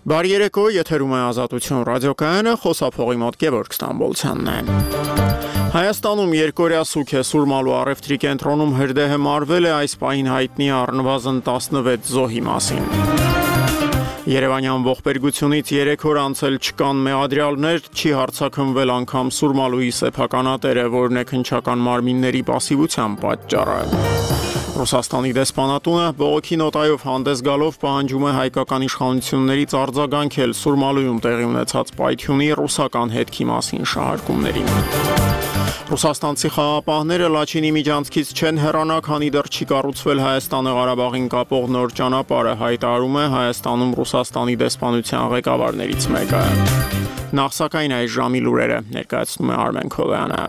Բարի երեկո, եթերում է Ազատություն ռադիոկայանը, խոսափողի մոտ Գևորգ Ստամբոլցյանն է։ Հայաստանում երկօրյա սուք է Սուրմալու առևտրի կենտրոնում հրդեհը մարվել է այս պահին հայտնի առնվազն 16 զոհի մասին։ Երևանյան ողբերգությունից 3 օր անցել չկան մեղադրյալներ, չի հարձակվվել անգամ Սուրմալուի սեփականատերը, որն է քննչական մարմինների պասիվության պատճառը։ Ռուսաստանի դեսպանատունը բողոքի նոտայով հանդես գալով պահանջում է հայկական իշխանություններից արձագանքել Սուրմալույում տեղի ունեցած պայթյունի ռուսական հետքի մասին շահարկումներին։ Ռուսաստանցի խաղապահները Լաչինի միջանցքից չեն հեռանա, քանի դեռ չի կառուցվել Հայաստանը Ղարաբաղին կապող նոր ճանապարհը, հայտարարում է Հայաստանում Ռուսաստանի դեսպանության ղեկավարներից մեկը։ Նախ սակայն այս ժամի լուրերը ներկայացնում է Արմեն Քոլյանը։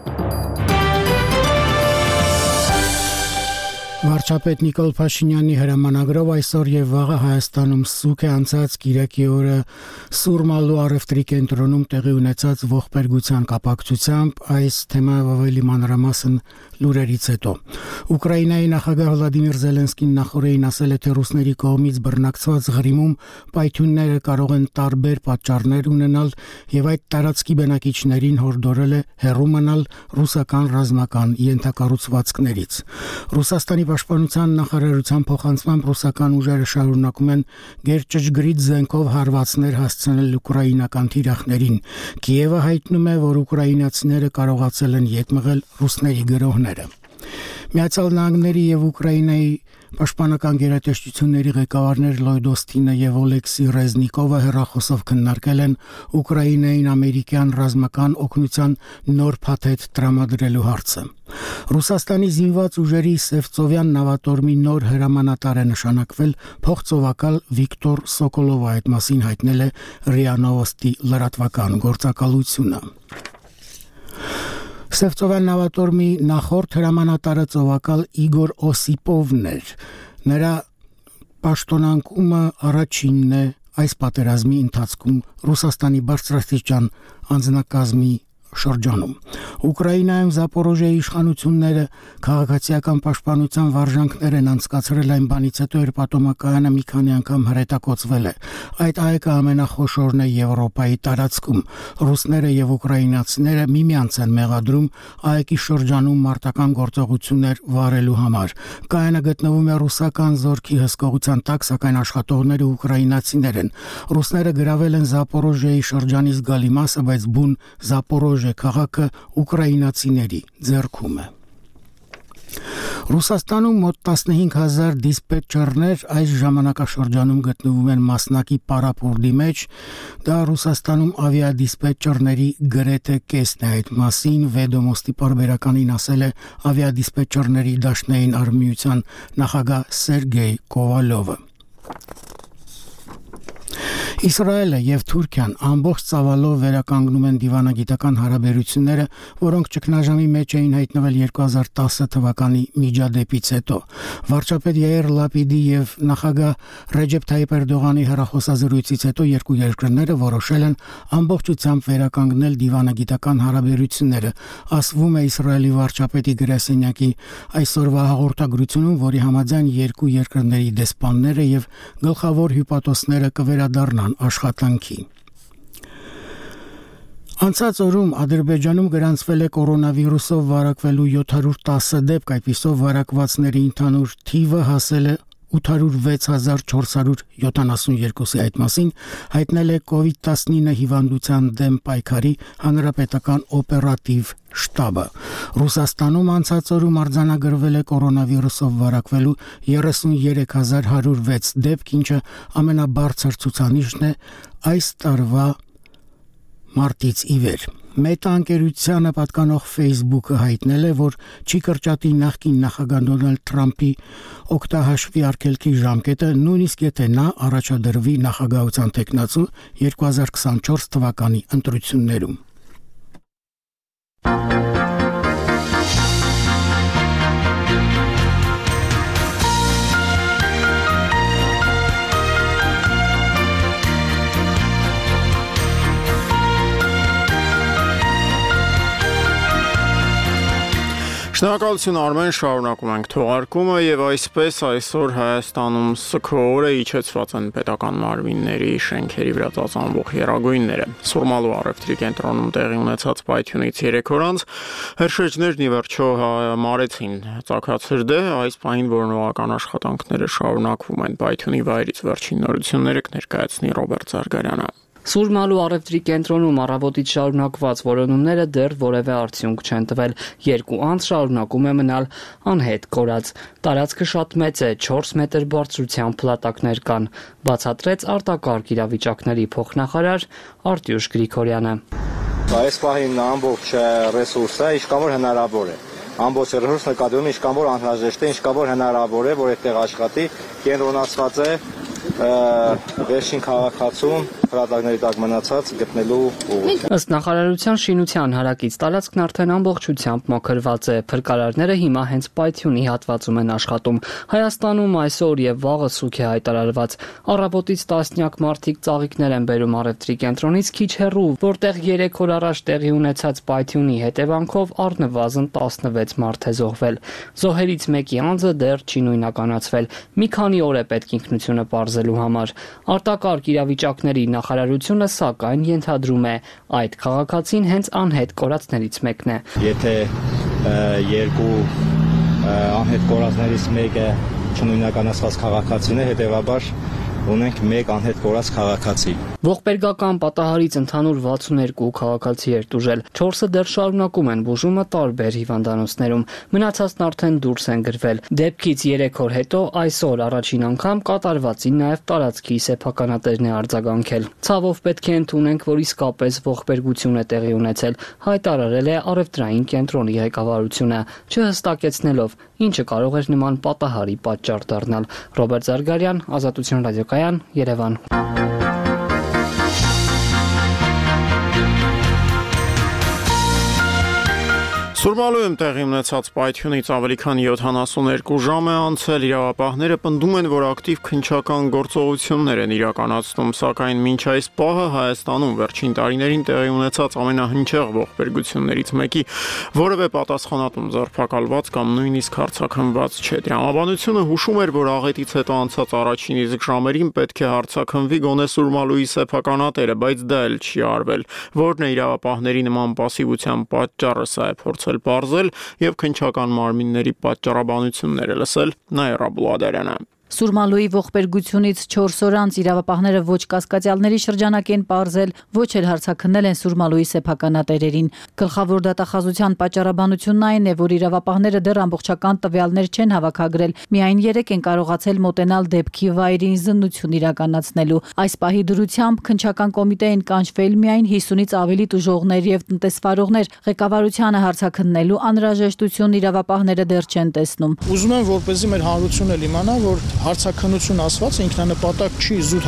Վարչապետ Նիկոլ Փաշինյանի հրամանագրով այսօր եւ վաղը Հայաստանում սուք է անցած Կիրակի օրը Սուրմալու առևտրի կենտրոնում տեղի ունեցած ողբերգության կապակցությամբ այս թեմայով ավելի մանրամասն լուրերից հետո։ Ուկրաինայի նախագահ Վլադիմիր Զելենսկին նախորդին ասել է, թե ռուսների կողմից բռնակցված Ղրիմում պայթյունները կարող են տարբեր պատճառներ ունենալ եւ այդ տարածքի բնակիչներին հորդորել է հեռու մնալ ռուսական ռազմական ենթակառուցվածքներից։ Ռուսաստանի Պաշտպանության նախարարության փոխանցմամբ ռուսական ուժերը շարունակում են գերճշգրիտ զենքով հարվածներ հասցնել ուկրաինական թիրախներին։ Կիևը հայտնում է, որ ուկրաինացիները կարողացել են ետ մղել ռուսների գրոհները։ Միացյալ Նահանգների եւ Ուկրաինայի Պաշտպանական գերատեսչությունների ղեկավարներ Լոյդ Օստինը եւ Օլեքսի Ռեզնիկովը հեռախոսով քննարկել են Ուկրաինային ամերիկյան ռազմական օգնության նոր փաթեթ տրամադրելու հարցը։ Ռուսաստանի զինված ուժերի Սևծովյան նավատորմի նոր հրամանատար է նշանակվել փոխծովակալ Վիկտոր Սոկոլովը, այդ մասին հայտնել է ՌԻԱ Նովոստի լրատվական գործակալությունը։ Սևծովյան նավատորմի նախորդ հրամանատարը ծովակալ Իգոր Օսիպովն էր։ Նրա պաշտոնակումը առաջինն է այս պատերազմի ընթացքում Ռուսաստանի բարձրաստիճան անձնակազմի շրջանում։ Ուկրաինայում Զապորոժիայի իշխանությունները քաղաքացիական պաշտպանության վարժանքներ են անցկացրել այն բանից հետո, երբ ատոմակայանը մի քանի անգամ հրետակոծվել է։ Այդ այգը ամենախոշորն է Եվրոպայի տարածքում։ Ռուսները եւ ուկրաինացիները միմյանց են մեղադրում այգի շրջանում մարտական գործողություններ վարելու համար։ Կայանը գտնվում է ռուսական զորքի հսկողության տակ, սակայն աշխատողները ուկրաինացիներ են։ Ռուսները գրավել են Զապորոժիայի շրջանի զգալի մասը, բայց բուն Զապորոժիա քաղաքը ուկրաինացիների ձեռքում է։ Ռուսաստանում մոտ 15000 դիսպետչերներ այս ժամանակաշրջանում գտնվում են մասնակի պարապուրդի մեջ։ Դա Ռուսաստանում ավիադիսպետչերների գրեթե կեսն է։ Այդ մասին Վեդոմոստի պարբերականին ասել է ավիադիսպետչերների դաշնային արմիության նախագահ Սերգեյ Կովալովը։ Իսրայելը եւ Թուրքիան ամբողջ ծավալով վերականգնում են դիվանագիտական հարաբերությունները, որոնք ճգնաժամի մեջ էին հայտնվել 2010 թվականի միջադեպից հետո։ Վարչապետ Յայիր Լապիդի եւ նախագահ Ռեջեփ Թայիպ Էրդողանի հեռախոսազրույցից հետո երկու երկրները որոշել են ամբողջությամբ վերականգնել դիվանագիտական հարաբերությունները, ասվում է Իսրայելի վարչապետի գրասենյակի այսօրվա հաղորդագրությունում, որի համաձայն երկու երկրների դեսպանները եւ գլխավոր հյուպատոսները կվերադառնան աշխատանքի։ Անցած օրում Ադրբեջանում գրանցվել է կորոնավիրուսով վարակվելու 710 դեպք, այդպիսով վարակվածների ընդհանուր թիվը հասել է 86472-ի, այդ մասին հայտնել է COVID-19 հիվանդության դեմ պայքարի հանրապետական օպերատիվ շտաբը։ Ռուսաստանում անցած օրում արձանագրվել է կորոնավիրուսով վարակվելու 33106 դեպք, ինչը ամենաբարձր ցուցանիշն է այս տարվա մարտից ի վեր։ Մետա ընկերությանը պատկանող Facebook-ը հայտնել է, որ չի կրճատի նախկին նախագահ Դոնալդ Թրամփի օգտահաշվի արգելքի ժամկետը, նույնիսկ եթե նա առաջադրվի նախագահության թեկնածու 2024 թվականի ընտրություններում։ Շնորհակալություն Արմեն, շարունակում ենք թողարկումը եւ այսպես այսօր Հայաստանում սքորը իջեցված են պետական մարմինների շենքերի վրա ծածանվող եռագույնները։ Սուրմալու առևտրի կենտրոնում տեղի ունեցած պայթյունից 3 օր անց հրշեջներն ի վերջո մարեցին ծագացրդը, այս պահին որոնողական աշխատանքները շարունակվում են։ Պայթյունի վայրից վերջին նորությունները կներկայացնի Ռոբերտ Զարգարյանը։ Սուրմալու առևտրի կենտրոնում առավոտից շարունակված որոնումները դեռ որևէ արդյունք չեն տվել։ 2 անց շարունակում է մնալ անհետ կորած։ Տարածքը շատ մեծ է, 4 մետր բարձրությամբ փլատակներ կան, բացատրեց արտակարգ իրավիճակների փոխնախարար Արտյուշ Գրիգորյանը։ Այս պահին ամբողջ ռեսուրսը ինչքան որ հնարավոր է։ Ամբողջ ռեսուրսը նկատի ունի ինչքան որ անհրաժեշտ է, ինչքան որ հնարավոր է, որ այդտեղ աշխատի, կենտրոնացված է վերջին քաղաքացուն հրադակների տակ մնացած գտնելու ուղղությամբ։ Ըստ նախարարության շինության հարակից տարածքն արդեն ամբողջությամբ մաքրված է։ Փրկարարները հիմա հենց պայթյունի հատվածում են աշխատում։ Հայաստանում այսօր եւ վաղը սուք է հայտարարված։ Առավոտից տասնյակ մարդիկ ծաղիկներ են բերում առևտրի կենտրոնից քիչ հեռու, որտեղ 3 օր առաջ տեղի ունեցած պայթյունի հետևանքով առնվազն 16 մարդ է զոհվել։ Զոհերից մեկի անձը դեռ չի նույնականացվել։ Մի քանի օր է պետք ինքնությունը պարզելու համար։ Արտակարգ իրավիճակների նախարարությունը սակայն ենթադրում է, այդ քաղաքացին հենց անհետ կորածներից մեկն է։ Եթե 2 անհետ կորածներից մեկը չնույնականացված քաղաքացին է, հետևաբար ունենք 1 անհետ կորած քաղաքացի։ Ողբերգական պատահարից ընդհանուր 62 քաղաքացի էր տուժել, 4-ը դեռ շարունակում են բուժումը տարբեր հիվանդանոցներում, մնացածն արդեն դուրս են գրվել։ Դեպքից 3 օր հետո այսօր առաջին անգամ կատարվածին նաև տարածքի սեփականատերն է արձագանքել։ Ցավով պետք է ընդունենք, որ իսկապես ողբերգություն է տեղի ունեցել, հայտարարել է առևտրային կենտրոնի ղեկավարությունը, չհստակեցնելով ինչը կարող էր նման պատահարի պատճառ դառնալ։ Ռոբերտ Զարգարյան, Ազատություն ռադիոկայան, Երևան։ Սուրմալույում տեղի ունեցած պայթյունից ավելի քան 72 ժամ է անցել, իրավապահները պնդում են, որ ակտիվ քննչական գործողություններ են իրականացնում, սակայն մինչ այս պահը Հայաստանում վերջին տարիներին տեղի ունեցած ամենահնչեղ ողբերգություններից մեկի որևէ պատասխանատուն ձերբակալված կամ նույնիսկ հարձակվված չէ։ Տրամաբանությունը հուշում էր, որ աղետից հետո անցած առաջին իսկ ժամերին պետք է հարձակվի գոնե Սուրմալուի սեփականատերը, բայց դա էլ չի արվել։ Որն է իրավապահների նման պասիվության պատճառը, սա է փորձել պարզել եւ քննչական մարմինների պատճառաբանությունները լսել Նաիրա Բուլադարյանը։ Սուրմալուի ողբերգությունից 4 օր անց իրավապահները ոչ կասկածյալների շրջանակ են պարզել, ոչ էլ հարձակնել են Սուրմալուի սեփականատերերին։ Գլխավոր դատախազության պատճառաբանությունն այն է, որ իրավապահները դեռ ամբողջական տվյալներ չեն հավաքագրել, միայն 3 են կարողացել մոտենալ դեպքի վայրին զննություն իրականացնելու։ Այս պահի դրությամբ քննչական կոմիտե են կանչվել միայն 50-ից ավելի տուժողներ եւ տնտեսվարողներ։ Ղեկավարությանը հարձակնելու անհրաժեշտություն իրավապահները դեռ չեն տեսնում։ Ուզում եմ, որպեսզի մեր հանրությունն իմանա, որ հարցաքննություն ասվածը ինքնանպատակ չի զուտ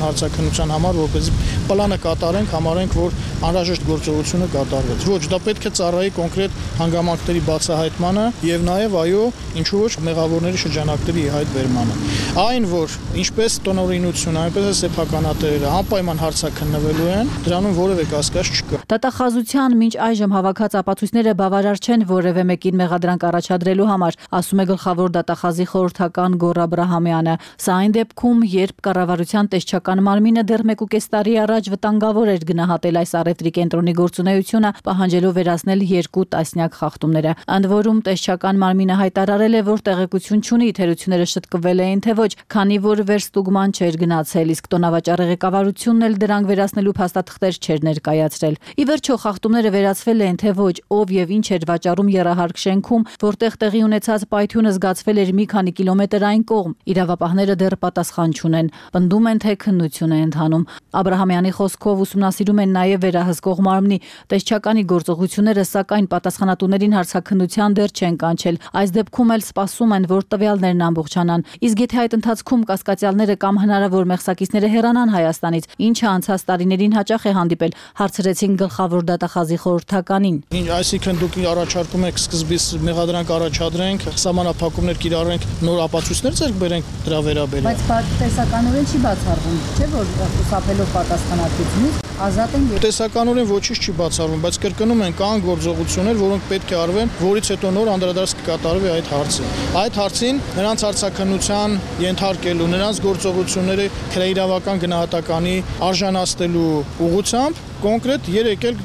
հարցաքննության համար, որպեսզի պլանը կատարենք, համարենք, որ անհրաժեշտ գործողությունը կատարվեց։ Ոչ, դա պետք է ծառայի կոնկրետ հանգամանքների բացահայտմանը եւ նաեւ այո, ինչու ոչ մեղավորների շրջանակների հայտ բերմանը։ Այն, որ ինչպես տոնօրինությունը, այնպես էլ սեփականատերերը անպայման հարցաքննվելու են, դրանում որևէ կասկած չկա։ Դատախազության մինչ այժմ հավաքած ապացույցները բավարար չեն որևէ մեկին մեղադրանք առաջադրելու համար, ասում է գլխավոր դատախազի խորհրդական Գոռ Աբրահամյանը։ Սա այն դեպքում, երբ կառավարության տեսչական մարմինը դեռ 1.5 տարի առաջ վտանգավոր էր գնահատել այս առևտրի կենտրոնի գործունեությունը, պահանջելով վերացնել 2 տասնյակ խախտումները։ Ընդ որում տեսչական մարմինը հայտարարել է, որ տեղեկություն չունի թերությունները շտկվել էին թե ոչ, քանի որ վերստուգման չէր գնացել, իսկ տոնավաճառի ղեկավարությունն էլ դրանք վերացնելու փաստաթղթեր չէր ներկայացրել։ Ի վերջո խախտումները վերացվել են թե ոչ, ով եւ ինչ էր վաճառում եռահարկ շենքում, որտեղ տեղի ունեցած պայթյունը զգացվել էր մի քանի կիլոմետր այն կողմ։ Իրավապահները դեռ պատասխան չունեն, պնդում են, թե քննություն է ընթանում։ Աբրահամյանի խոսքով ուսումնասիրում են նաև վերահսկող մարմնի տեսչականի գործողությունները, սակայն պատասխանատուներին հարցաքննության դեռ չեն կանչել։ Այս դեպքում էլ սպասում են, որ տվյալներն ամբողջանան։ Իսկ եթե այդ ընթացքում կասկածյալները կամ հնարավոր մեղսակիցները հեռանան Հայաստանից, ինչը անցած տարիներին հաճախ է հանդիպել, հարցրեցին գլխավոր դատախազի խորհրդականին։ Այսինքն դուք առաջարկում եք սկզբից մեղադրանք առաջադրենք, սահմանափակումներ կիրառենք, նոր ապացույցներ ձեռք բերենք դրա վերաբերյալ։ Բայց տեսականորեն չի բացառվում, չէ՞ որ խուսափելով պատասխանատվությունից ազատ են։ Բացականորեն ոչինչ չի բացառվում, բայց կրկնում են կան գործողություններ, որոնք պետք է արվեն, որից հետո նոր անդրադարձ կկատարվի այդ հարցին։ Այդ հարցին նրանց արձակնության ենթարկելու, նրանց գործողությունները քրեիրավական գնահատականի արժանացնելու ուղղությամբ կոնկրետ երեկել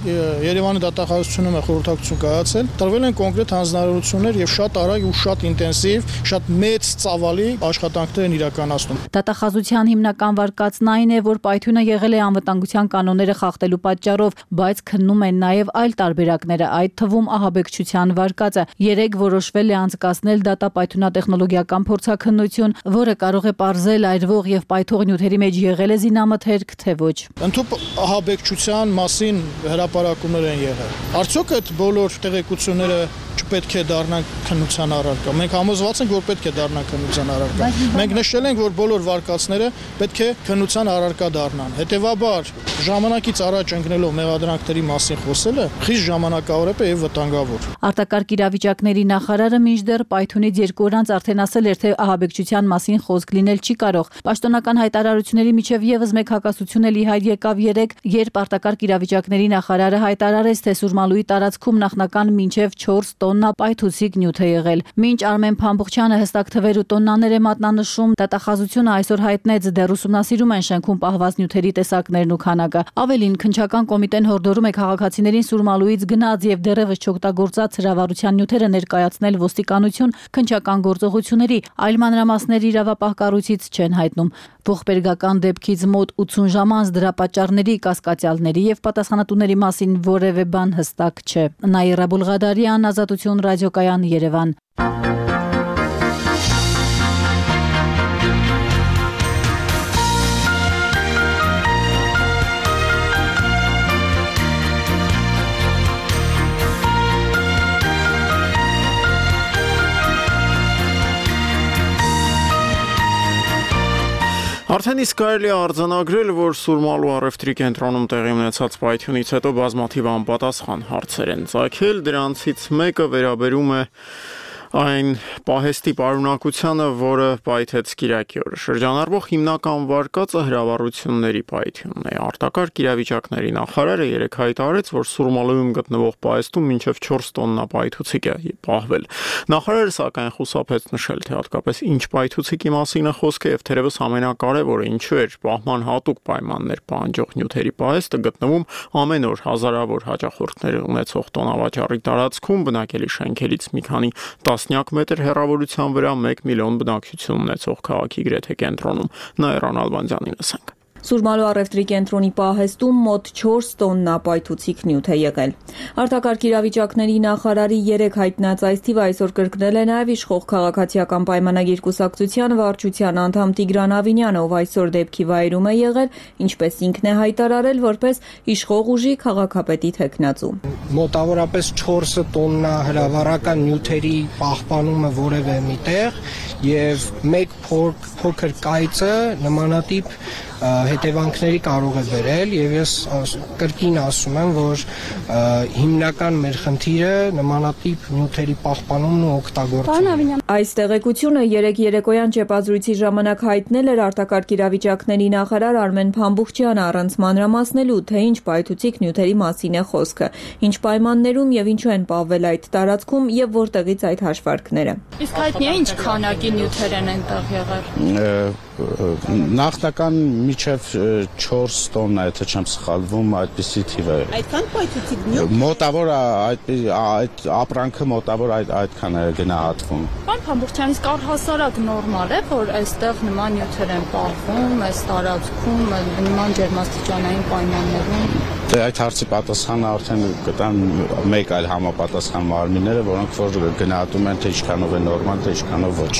Երևանի դատախազությունում է խորհրդակցություն կայացել, տրվել են կոնկրետ հանձնարարություններ եւ շատ արագ ու շատ ինտենսիվ, շատ մեծ ծավալի աշխատանքներ են իրականացնում։ Դատախազության հիմնական վարկածն այն է, որ պայթյունը եղել է անվտանգության կանոնները խախտելու պատճառով, բայց քննում են նաեւ այլ տարբերակները, այդ թվում ահաբեկչության վարկածը։ Երեք որոշվել է անցկացնել դատապայթյունատեխնոլոգիական փորձաքննություն, որը կարող է պարզել այրվող եւ պայթող նյութերի մեջ եղել է զինամթերք, թե ոչ։ Ընդհանուր ահաբեկչության մասին հրապարակումներ են եղել։ Արդյոք այդ բոլոր տեղեկությունները չպետք է դառնան քննության առարկա։ Մենք համոզված ենք, որ պետք է դառնան քննության առարկա։ Մենք նշել ենք, որ բոլոր վարկածները պետք է քննության առարկա դառնան։ Հետևաբար, ժամանակից առաջ ընկնելով մեղադրանքների մասին խոսելը խիստ ժամանակավոր է եւ վտանգավոր։ Արտակարգ իրավիճակների նախարարը մինչդեռ պայթյունից 2 օր անց արդեն ասել էր, թե ահաբեկչության մասին խոսք լինել չի կարող։ Պաշտոնական հայտարարությունների միջև եւս մեկ հակասություն էլ ի հայտ եկավ երեկ, երբ արտակարգ իրավիճակների նախարարը հայտարարեց, թե Սուրմալուի տարածքում նախնական մինչև 4 տոննա պայթուցիկ նյութ է եղել։ Մինչ Արմեն Փամբուխչյանը հստակ թվեր ու տոննաներ է մատնանշում, դատախազությունը այսօր հայտնեց, դեռ ուսումնասիրում են շենքում պահված նյութերի տեսակներն ու քանակը։ Ավելին, քննչական կոմիտեն հորդորում է քաղաքացիներին Սուրմալուից գնաց եւ դեռևս չօգտագործած հրավառության նյութերը ներկայացնել ոստիկանություն քննչական գործողությունների, այլ մանրամասներ իրավապահ կառույցից չեն հայտնում։ Ողբերգական դեպքից մոտ 80 ժամ անց դրա պատճառների, կասկածյալների եւ պատասխանատուների մասին որևէ բան հստակ չէ։ Նաիրա Բուլղադարյան, Ազատություն ռադիոկայան, Երևան։ Արդեն իսկ կարելի է արձանագրել, որ Սուրմալու առևտրի կենտրոնում տեղի ունեցած պայթյունից հետո բազմաթիվ անպատասխան հարցեր են ծագել, դրանցից մեկը վերաբերում է այն պահեստի պարունակությանը, որը պայթեց Կիրակի օրը։ Շրջանառվող հիմնական վարկածը հրավառությունների պայթյունն է։ Արտակարգ իրավիճակների նախարարը երեկ հայտարարեց, որ Սուրմալույում գտնվող պահեստում մինչև 4 տոննա պայթուցիկ է պահվել։ Նախարարը սակայն խուսափեց նշել, թե հատկապես ինչ պայթուցիկի մասին է խոսքը եւ թերևս ամենակարևորը ինչու էր պահման հատուկ պայմաններ պահանջող նյութերի պահեստը գտնվում ամեն օր հազարավոր հաճախորդներ ունեցող տոնավաճառի տարածքում, բնակելի շենքերից մի քանի տասնյակ մետր հեռավորության վրա 1 միլիոն բնակչություն ունեցող քաղաքի գրեթե կենտրոնում։ Նաիրա Նալբանդյանին լսենք։ Սուրմալու առևտրի կենտրոնի պահեստում մոտ 4 տոննա պայթուցիկ նյութ է եղել։ Արտակարգ իրավիճակների նախարարի երեկ հայտնած այս թիվը այսօր կրկնել է նաև իշխող քաղաքացիական պայմանագիր կուսակցության վարչության անդամ Տիգրան Ավինյանը, ով այսօր դեպքի վայրում է եղել, ինչպես ինքն է հայտարարել, որպես իշխող ուժի քաղաքապետի թեկնածու։ Մոտավորապես 4 տոննա հրավառական նյութերի պահպանումը որևէ միտեղ եւ մեկ փոքր կայծը նմանատիպ հետևանքների կարող է բերել եւ ես կրկին ասում եմ, որ հիմնական մեր խնդիրը նմանատիպ նյութերի պահպանումն ու օգտագործումն է։ Այս տեղեկությունը երեկ երեկոյան ճեպազրույցի ժամանակ հայտնել էր արտակարգ իրավիճակների նախարար Արմեն Փամբուխչյանը առանց մանրամասնելու, թե ինչ պայթուցիկ նյութերի մասին է խոսքը, ինչ պայմաններում եւ ինչու են պահվել այդ տարածքում եւ որտեղից այդ հաշվարկները։ Իսկ հայտնի է ինչ քանակի նյութեր են այնտեղ եղել։ Նախնական միջև 4 տոննա, եթե չեմ սխալվում, այդպիսի թիվ է։ Այդքան պայթուցիկ նյութ։ Մոտավոր այդ ապրանքը մոտավոր այդքան է գնահատվում։ Պարոն Փամբուխչյան, իսկ առհասարակ նորմալ է, որ այստեղ նման նյութեր են պահվում, այս տարածքում, նման ջերմաստիճանային պայմաններում։ Դե այդ հարցի պատասխանը արդեն կտան մեկ այլ համապատասխան մարմինները, որոնք որ գնահատում են, թե ինչքանով է նորմալ, թե ինչքանով ոչ։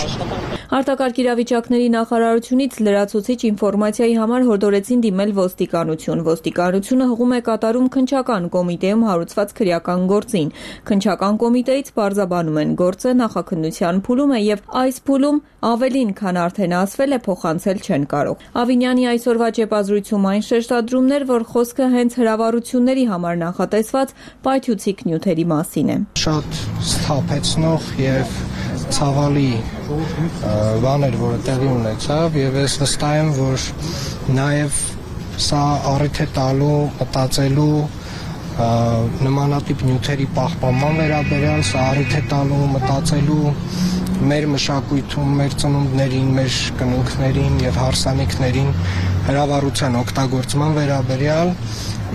Արտակարգ իրավիճակների նախարարությունից լրացուցիչ ինֆորմացիայի համար հորդորեցին դիմել ոստիկանություն։ Ոստիկանությունը հղում է կատարում քննչական կոմիտեում հարուցված քրեական գործին։ Քննչական կոմիտեից պարզաբանում են գործը նախաքննության փուլում է եւ այս փուլում ավելին, քան արդեն ասվել է, փոխանցել չեն կարող։ Ավինյանի այսօրվա ճեպազրույցում այն շեշտադրումներ, որ խոսքը հենց հրավառությունների համար նախատեսված պայթուցիկ նյութերի մասին է։ Շատ սթափեցնող եւ ցավալի բաներ, որը տեղի ունեցավ եւ ես վստահ եմ, որ նաեւ սա առիթ է տալու մտածելու նմանատիպ նյութերի պահպանման վերաբերյալ, սա առիթ է տալու մտածելու մեր մշակույթում, մեր ծնունդներին, մեր կնունքներին եւ հարսանիքներին հրավառության օգտագործման վերաբերյալ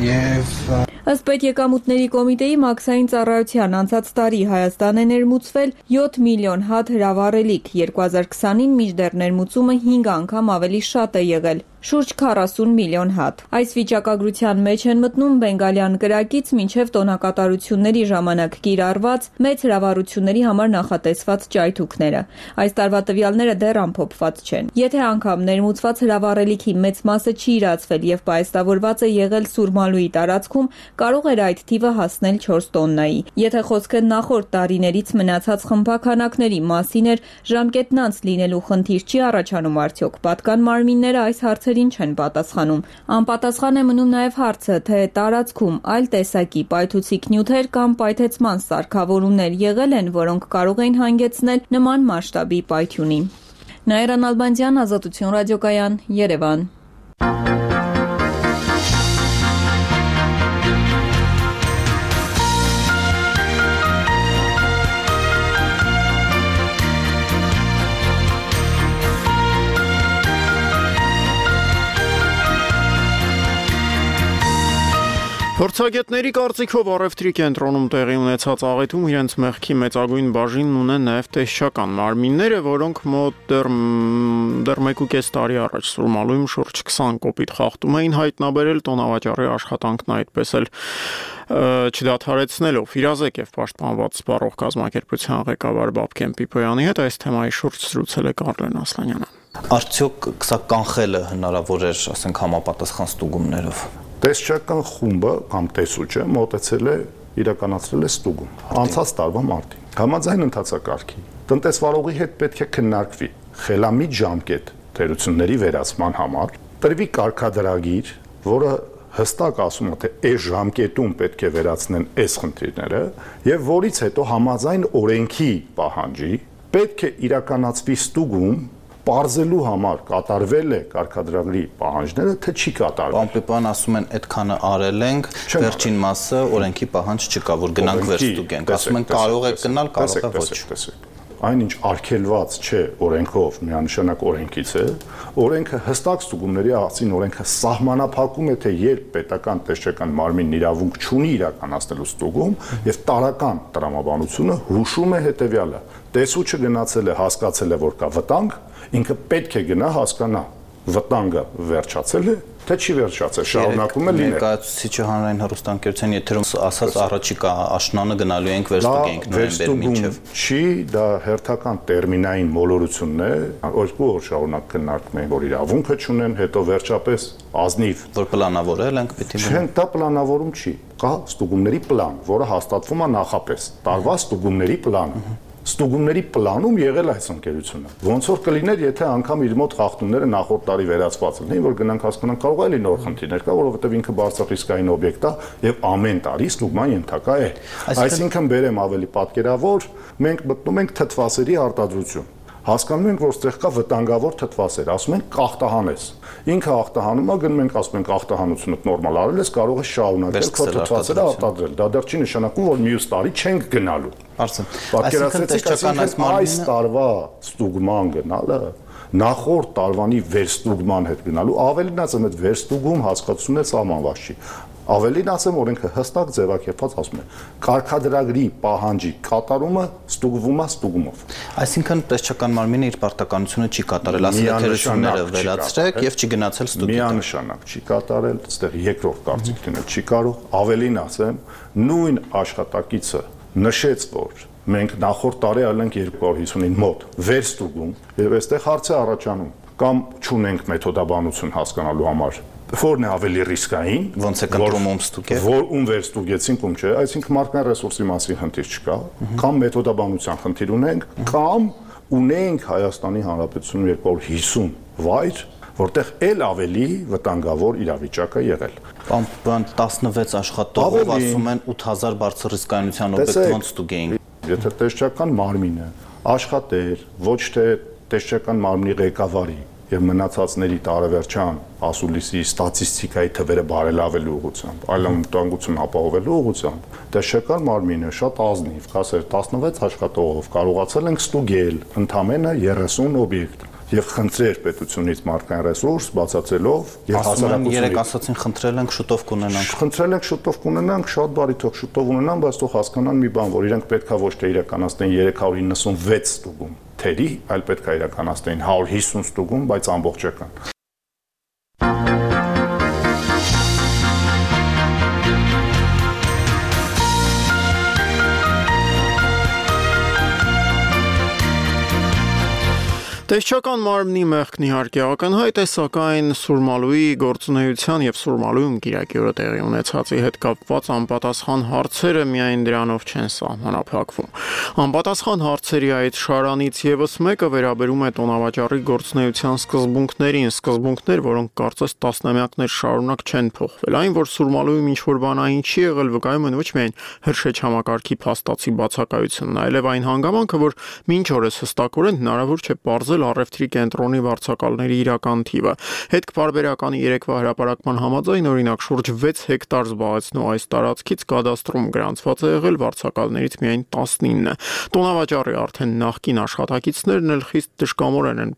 եւ Ըստ Պետեկամուտների կոմիտեի մաքսային ծառայության անցած տարի Հայաստան է ներմուծվել 7 միլիոն հատ հրավառելիք, 2020-ին մինչդեռ ներմուծումը 5 անգամ ավելի շատ է եղել, շուրջ 40 միլիոն հատ։ Այս վիճակագրության մեջ են մտնում բենգալյան կրակից մինչև տոնակատարությունների ժամանակ կիրառված մեծ հրավառությունների համար նախատեսված ճայթուքները։ Այս տարվա տվյալները դեռ ամփոփված չեն։ Եթե անգամ ներմուծված հրավառելիքի մեծ մասը չի իրացվել եւ պայստավորված է եղել Սուրմալուի տարածքում, կարող էր այդ թիվը հասնել 4 տոննայի։ Եթե խոսքը նախորդ տարիներից մնացած խմբաքանակների մասին էր, ժամկետն անց լինելու խնդիր չի առաջանում արդյոք։ Պատկան մարմինները այս հարցերին չեն պատասխանում։ Անպատասխան է մնում նաև հարցը, թե տարածքում այլ տեսակի պայթուցիկ նյութեր կամ պայթեցման սարքավորումներ եղել են, որոնք կարող էին հանգեցնել նման մասշտաբի պայթյունի։ Նաիրա Նալբանդյան, Ազատություն ռադիոկայան, Երևան։ Փորձագետների կարծիքով առևտրի կենտրոնում տեղի ունեցած աղետում իրենց մեղքի մեծագույն բաժինն ունեն նաև տեսչական մարմինները, որոնք մոտ դեռ 1.5 տարի առաջ Սուրմալույում շուրջ 20 կոպիտ խախտում էին հայտնաբերել տոնավաճառի աշխատանքն այդպես էլ չդադարեցնելով։ Իրազեկ եւ պաշտպանված սպառող կազմակերպության ղեկավար Բաբկեն Պիպոյանի հետ այս թեմայի շուրջ զրուցել է Կարլեն Ասլանյանը։ Արդյոք սա կանխելը հնարավոր էր, ասենք, համապատասխան ստուգումներով։ Տեսչական խումբը կամ տեսուչը մոտեցել է իրականացրել է ստուգում անցած տարվա մարտին։ Համաձայն ընթացակարգի տնտեսվարողի հետ պետք է քննարկվի խելամիտ ժամկետ թերությունների վերացման համար, տրվի կարգադրագիր, որը հստակ ասում է, թե այս ժամկետում պետք է վերացնեն այս խնդիրները, եւ որից հետո համաձայն օրենքի պահանջի պետք է իրականացվի ստուգում Պարզելու համար կատարվել է կարգադրագրի պահանջները, թե չի կատարվել։ Պարոն Պիպոյան ասում են, այդքանը արել ենք, վերջին մասը օրենքի պահանջ չկա, որ գնանք վերստուգենք։ Ասում են կարող է գնալ, կարող է ոչ։ Այնինչ արգելված չէ օրենքով, միանշանակ օրենքից է, օրենքը հստակ ստուգումների ասին օրենքը սահմանափակում է, թե երբ պետական տեսչական մարմինն իրավունք չունի իրականացնելու ստուգում, եւ տարական տրամաբանությունը հուշում է հետեւյալը. տեսուչը գնացել է, հասկացել է, որ կա վտանգ, ինքը պետք է գնա հասկանա վտանգը վերջացել է, թե չի վերջացել, շարունակում է լինել։ Ներկայացուցիչը հանրային հեռուստաընկերության եթերում ասաց առաջիկա աշնանը գնալու ենք վերստուգենք նոյեմբեր մինչև։ Չի, դա հերթական տերմինային մոլորությունն է, երկու օր շարունակ քննարկում են, որ իրավունքը չունեն, հետո վերջապես ազնիվ որ պլանավորել ենք պիտի Չեն, դա պլանավորում չի, կա ստուգումների պլան, որը հաստատվում է նախապես, տարվա ստուգումների պլանը։ Ստուգումների պլանում եղել այս ընկերությունը։ Ոնց որ կլիներ, եթե անգամ իր մոտ խախտումները նախորդ տարի վերացված լինեին, որ գնանք հասկանանք, կարող է լինել նոր խնդիրներ կա, որովհետև ինքը բարձրախիսկային օբյեկտ է եւ ամեն տարի ստուգման ենթակա է։ Այսինքն բերեմ ավելի պատկերավոր, մենք մտնում ենք թթվասերի արտադրություն։ Հասկանում ենք, որ ստեղ կա վտանգավոր թթվասեր, ասում ենք ախտահանես։ Ինքը ախտահանում է, գնում ենք ասում ենք ախտահանությունը նորմալ արել ես, կարող է շարունակել քո թթվասերը արտադրել։ Դա դեռ չի նշանակում, որ մյուս տարի չենք գնալու։ Պատկերացրեցիք, այս տարվա ստուգման գնալը նախորդ տարվանի վերստուգման հետ գնալու ավելին ասեմ, այդ վերստուգում հասկացությունն է սահմանված չի։ Ավելին ասեմ, օրենքը հստակ ձևակերպված ասում է, կարգադրագրի պահանջի կատարումը ստուգվում է ստուգումով։ Այսինքն տեսչական մարմինը իր պարտականությունը չի կատարել, ասել է թերությունները վերացրեք եւ չի գնացել ստուգի։ Միանշանակ չի կատարել, այստեղ երկրորդ կարծիք լինել չի կարող։ Ավելին ասեմ, նույն աշխատակիցը նշեց, որ մենք նախորդ տարի արել ենք 250-ին մոտ վերստուգում եւ այստեղ հարց է առաջանում, կամ չունենք մեթոդաբանություն հասկանալու համար Որն է ավելի ռիսկային, ոնց է կընտրում ում ստուգել, որ ում վերստուգեցինք, ում չէ, այսինքն մարդկային ռեսուրսի մասին խնդիր չկա, կամ մեթոդաբանության խնդիր ունենք, կամ ունենք Հայաստանի Հանրապետությունում 250 վայր, որտեղ էլ ավելի վտանգավոր իրավիճակ է եղել։ Բան 16 աշխատողով ասում են 8000 բարձր ռիսկայնության օբյեկտ ոնց ստուգեին։ Եթե տեսչական մարմինը աշխատեր, ոչ թե տեսչական մարմնի ղեկավարի եւ մնացածների տարեվերջան ասուլիսի ստատիստիկայի թվերը բարելավելու ուղղությամբ, այլընտրանքություն ապահովելու ուղղությամբ, տեղեկան մարմինը շատ ազնիվ, կասեր 16 աշխատողով կարողացել ենք ստուգել ընդամենը 30 օբյեկտ եւ խնդրեր պետությունից մարդկային ռեսուրս բացացելով եւ հասարակությունից երեք ասացին խնդրել ենք շուտով կունենանք շատ բարի թող շուտով ունենան, բայց թող հասկանան մի բան, որ իրենք պետքա ոչ թե իրականացնեն 396 ստուգում թերի, այլ պետքա իրականացնեն 150 ստուգում, բայց ամբողջական։ Տեսչական մարմնի մեղքն իհարկե ակնհայտ է, սակայն Սուրմալուի գործունեության եւ Սուրմալույում Կիրակի օրը տեղի ունեցածի հետ կապված անպատասխան հարցերը միայն դրանով չեն սահմանափակվում։ Անպատասխան հարցերի այդ շարանից եւս մեկը վերաբերում է տոնավաճառի գործունեության սկզբունքներ, որոնք կարծես տասնամյակներ շարունակ չեն փոխվել։ Այն, որ Սուրմալույում ինչ-որ բանային չի եղել, վկայում են ոչ միայն հրշեջ համակարգի փաստացի բացակայությունն, այլև այն հանգամանքը, որ մինչ օրս հստակորեն հնարավոր չէ պարզել առևտրի կենտրոնի վարձակալների իրական թիվը։ Հետքպարբերականի երեկվա հրապարակման համաձայն օրինակ շուրջ 6 հեկտար զբաղեցնող այս տարածքից կադաստրում գրանցված է եղել վարձակալներից միայն 19-ը։ Տոնավաճառի արդեն նախկին աշխատակիցներն էլ խիստ դժկամորեն են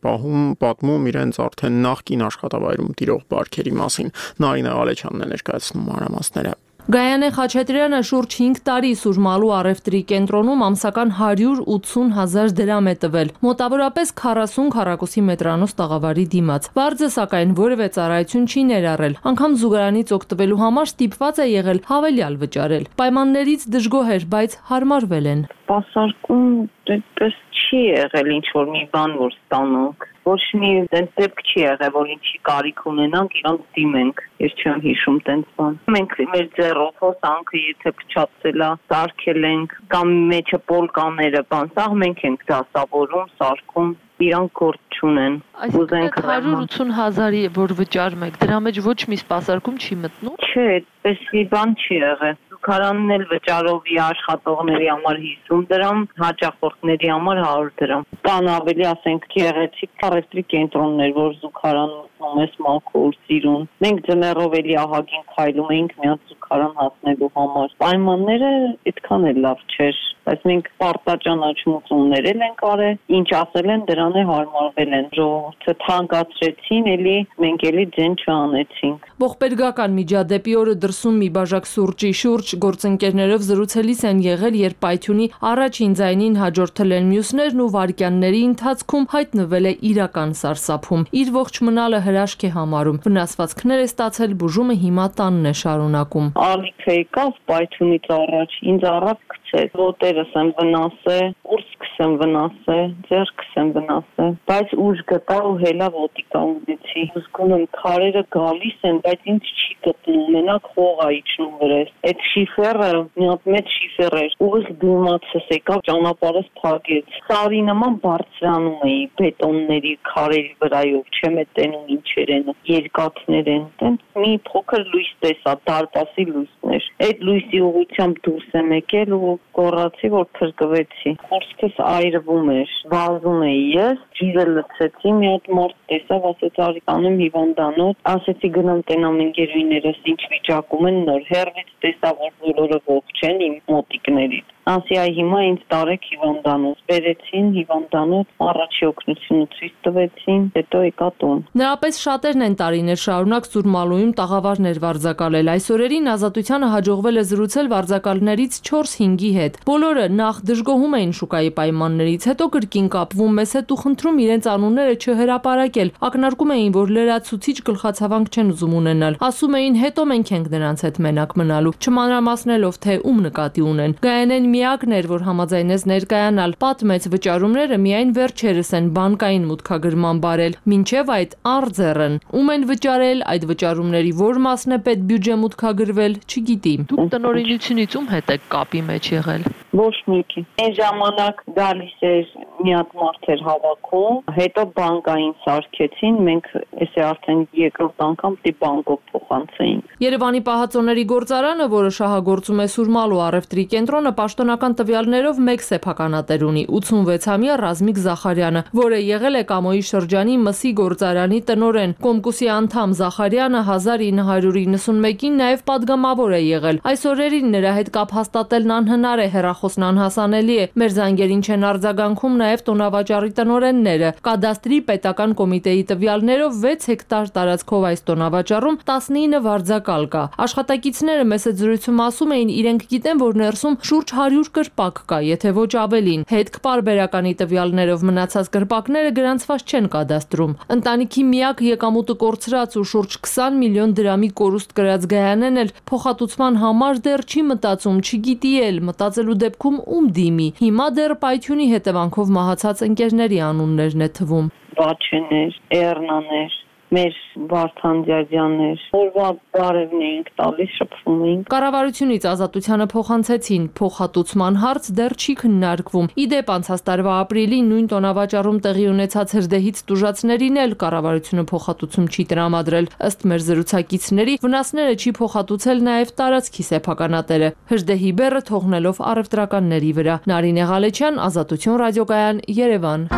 պատմում իրենց արդեն նախկին աշխատավայրում տիրող բարքերի մասին։ Նարինե Ալեչյանն է ներկայացնում մանրամասները։ Գայանե Խաչատրյանը շուրջ 5 տարի Սուրմալու առևտրի կենտրոնում ամսական 180,000 դրամ է տվել, մոտավորապես 40 քառակուսի մետրանոց տաղավարի դիմաց։ Վարձը սակայն որևէ ծառայություն չի ներառել, անգամ զուգարանից օգտվելու համար ստիպված է եղել հավելյալ վճարել։ Պայմաններից դժգոհ էր, բայց հարմարվել են։ Սպասարկում դեպս չի եղել ինչ-որ մի բան, որ ստանանք։ Ոչ մի դեպք չի եղել, որ ինչի կարիք ունենանք, իրանք դիմենք։ Ես չեմ հիշում տենց բան։ Մենք մեր ձեռով հոսանքը եթե փչացել է, սարքել ենք, կամ մեջը պոլկաները, բան, սա մենք ենք դասավորում, սարքում, իրանք գործ չունեն։ Այսինքն 180,000-ի որ վճարում եք, դրա մեջ ոչ մի սպասարկում չի մտնում։ Չէ, այդպես մի բան չի եղել։ Զուգարանն էլ վճարովի աշխատողների համար 50 դրամ, հաճախորդների համար 100 դրամ։ Կան ավելի, ասենք, գեղեցիկ առևտրի կենտրոններ, որ զուգարանում մտնում ես մաքուր, սիրուն։ Մենք ձմեռով էլի ահագին քայլում էինք մի հատ զուգարան հասնելու համար։ Պայմանները այդքան էլ լավ չէր, բայց մենք պարտաճանաչումներ ենք արել, ինչ ասել են դրան է հարմարվել են։ Ժողովուրդը թանկացրեցին, էլի մենք էլի ձեն չանեցինք։ Ողբերգական միջադեպի օրը դրսում մի բաժակ սուրճի շուրջ գործընկերներով զրուցելիս են եղել, երբ պայթյունի առաջին ձայնին հաջորդել են մյուսներն ու վայրկյանների ընթացքում հայտնվել է իրական սարսափում։ Իր ողջ մնալը հրաշք է համարում։ Վնասվածքներ է ստացել, բուժումը հիմա տանն է շարունակում։ Ալիքը եկավ պայթյունից առաջ, ինձ առավ գցեց, ոտերս եմ վնասել, ուրսքս եմ վնասել, ձեռքս եմ վնասել, բայց ուժ գտա ու հելա ոտիկա ունեցի։ Զգում եմ քարերը գալիս են, բայց ինձ չի գտնում, մենակ խող է իջնում վրես։ Այդ շիֆերը մի հատ մեծ շիֆեր էր, ուղիղ դիմացս եկավ, ճանապարհս փակեց։ Սարի նման բարձրանում էի բետոնների քարերի վրայով, չեմ տենում ինչեր են, երկաթներ են, տենց մի փոքր լույս տեսա, դարպասի լույսներ։ Այդ լույսի ուղղությամբ դուրս եմ եկել ու գոռացի, որ փրկվեցի։ Խոսքս այրվում էր, վազում էի ես, ջուրը լցեցի, մի հատ մարդ տեսավ, ասեց արի կանեմ հիվանդանոց, ասեցի գնամ տենամ ընկերուհիներս ինչ վիճակում են, նոր հեռվից տեսա, որ բոլորը ողջ են իմ մոտիկներից։ Ասի այ հիմա ինձ տարեք հիվանդանոց, բերեցին հիվանդանոց, առաջի օգնությունը ցույց տվեցին, հետո եկա տուն։ Նրա պես շատերն են տարիներ շարունակ Սուրմալույում տաղավարներ վարձակալել։ Այս օրերին Ազատությանը հաջողվել է զրուցել վարձակալներից 4-5-ի հետ։ Բոլորը նախ դժգոհում էին շուկայի պայմաններից, հետո կրկին կապվում մեզ հետ ու խնդրում իրենց անունները չհրապարակել։ Ակնարկում էին, որ լրացուցիչ գլխացավանք չեն ուզում ունենալ։ Ասում էին հետո մենք ենք նրանց հետ մենակ մնալու, չմանրամասնելով թե ում նկատի ունեն։ Գայանեն միակն էր, որ համաձայնեց ներկայանալ, պատմեց վճարումները միայն վերջերս են բանկային մուտքագրման բարել, մինչև այդ արձերն։ Ում են վճարել, այդ վճարումների որ մասն է պետբյուջե մուտքագրվել, չգիտի։ Դուք տնօրինությունից ում հետ եք կապի մեջ եղել։ Ոչ մեկի։ Այն ժամանակ գալիս էր մի հատ մարդ էր հավաքում, հետո բանկային սարքեցին, մենք էսե արդեն երկրորդ անգամ դի բանկով փոխանցեինք։ Երևանի պահածոների գործարանը, որը շահագործում է Սուրմալու առևտրի կենտրոնը, պաշտոնական տվյալներով մեկ սեփականատեր ունի՝ 86-ամյա Ռազմիկ Զախարյանը, որը եղել է Կամոյի շրջանի մսի գործարանի տնօրեն։ Կոմկուսի անդամ Զախարյանը 1991-ին նաև падգամավոր է եղել։ Այս օրերին նրա հետ կապ հաստատելն անհնար է, հեռախոսն անհասանելի է։ Մեր զանգերին չեն արձագանքում նաև տոնավաճառի տնօրենները։ Կադաստրի պետական կոմիտեի տվյալներով 6 հեկտար տարածքով այս տոնավաճառում 19 վարձակալ կա։ Աշխատակիցները մեծ զրույցում ասում էին, իրենք գիտեն, որ ներսում շուրջ 100 կրպակ կա, եթե ոչ ավելին։ Հետք պարբերականի տվյալներով մնացած կրպակները գրանցված չեն կադաստրում։ Ընտանիքի միակ եկամուտը կորցրած ու շուրջ 20 միլիոն դրամի կորուստ կրած Գայանեն էլ փոխհատուցման համար դեռ չի մտածում, չգիտի էլ, մտածելու դեպքում ում դիմի։ Հիմա դեռ պայթյունի հետևանքով մահացած ընկերների անուններն է թվում։ Բաչեներ, Էռնաներ, մեր Վարդան Դյադյաններ, օրվա բարևն էինք տալիս, շփվում էինք։ Կառավարությունից Ազատությանը փոխանցեցին, փոխհատուցման հարց դեռ չի քննարկվում։ Իդեպ անցած տարվա ապրիլին նույն տոնավաճառում տեղի ունեցած հրդեհից տուժածներին էլ կառավարությունը փոխհատուցում չի տրամադրել։ Ըստ մեր զրուցակիցների, վնասները չի փոխհատուցել նաև տարածքի սեփականատերը, հրդեհի բեռը թողնելով առևտրականների վրա։ Նարինե Ղալեչյան, Ազատություն ռադիոկայան, Երևան։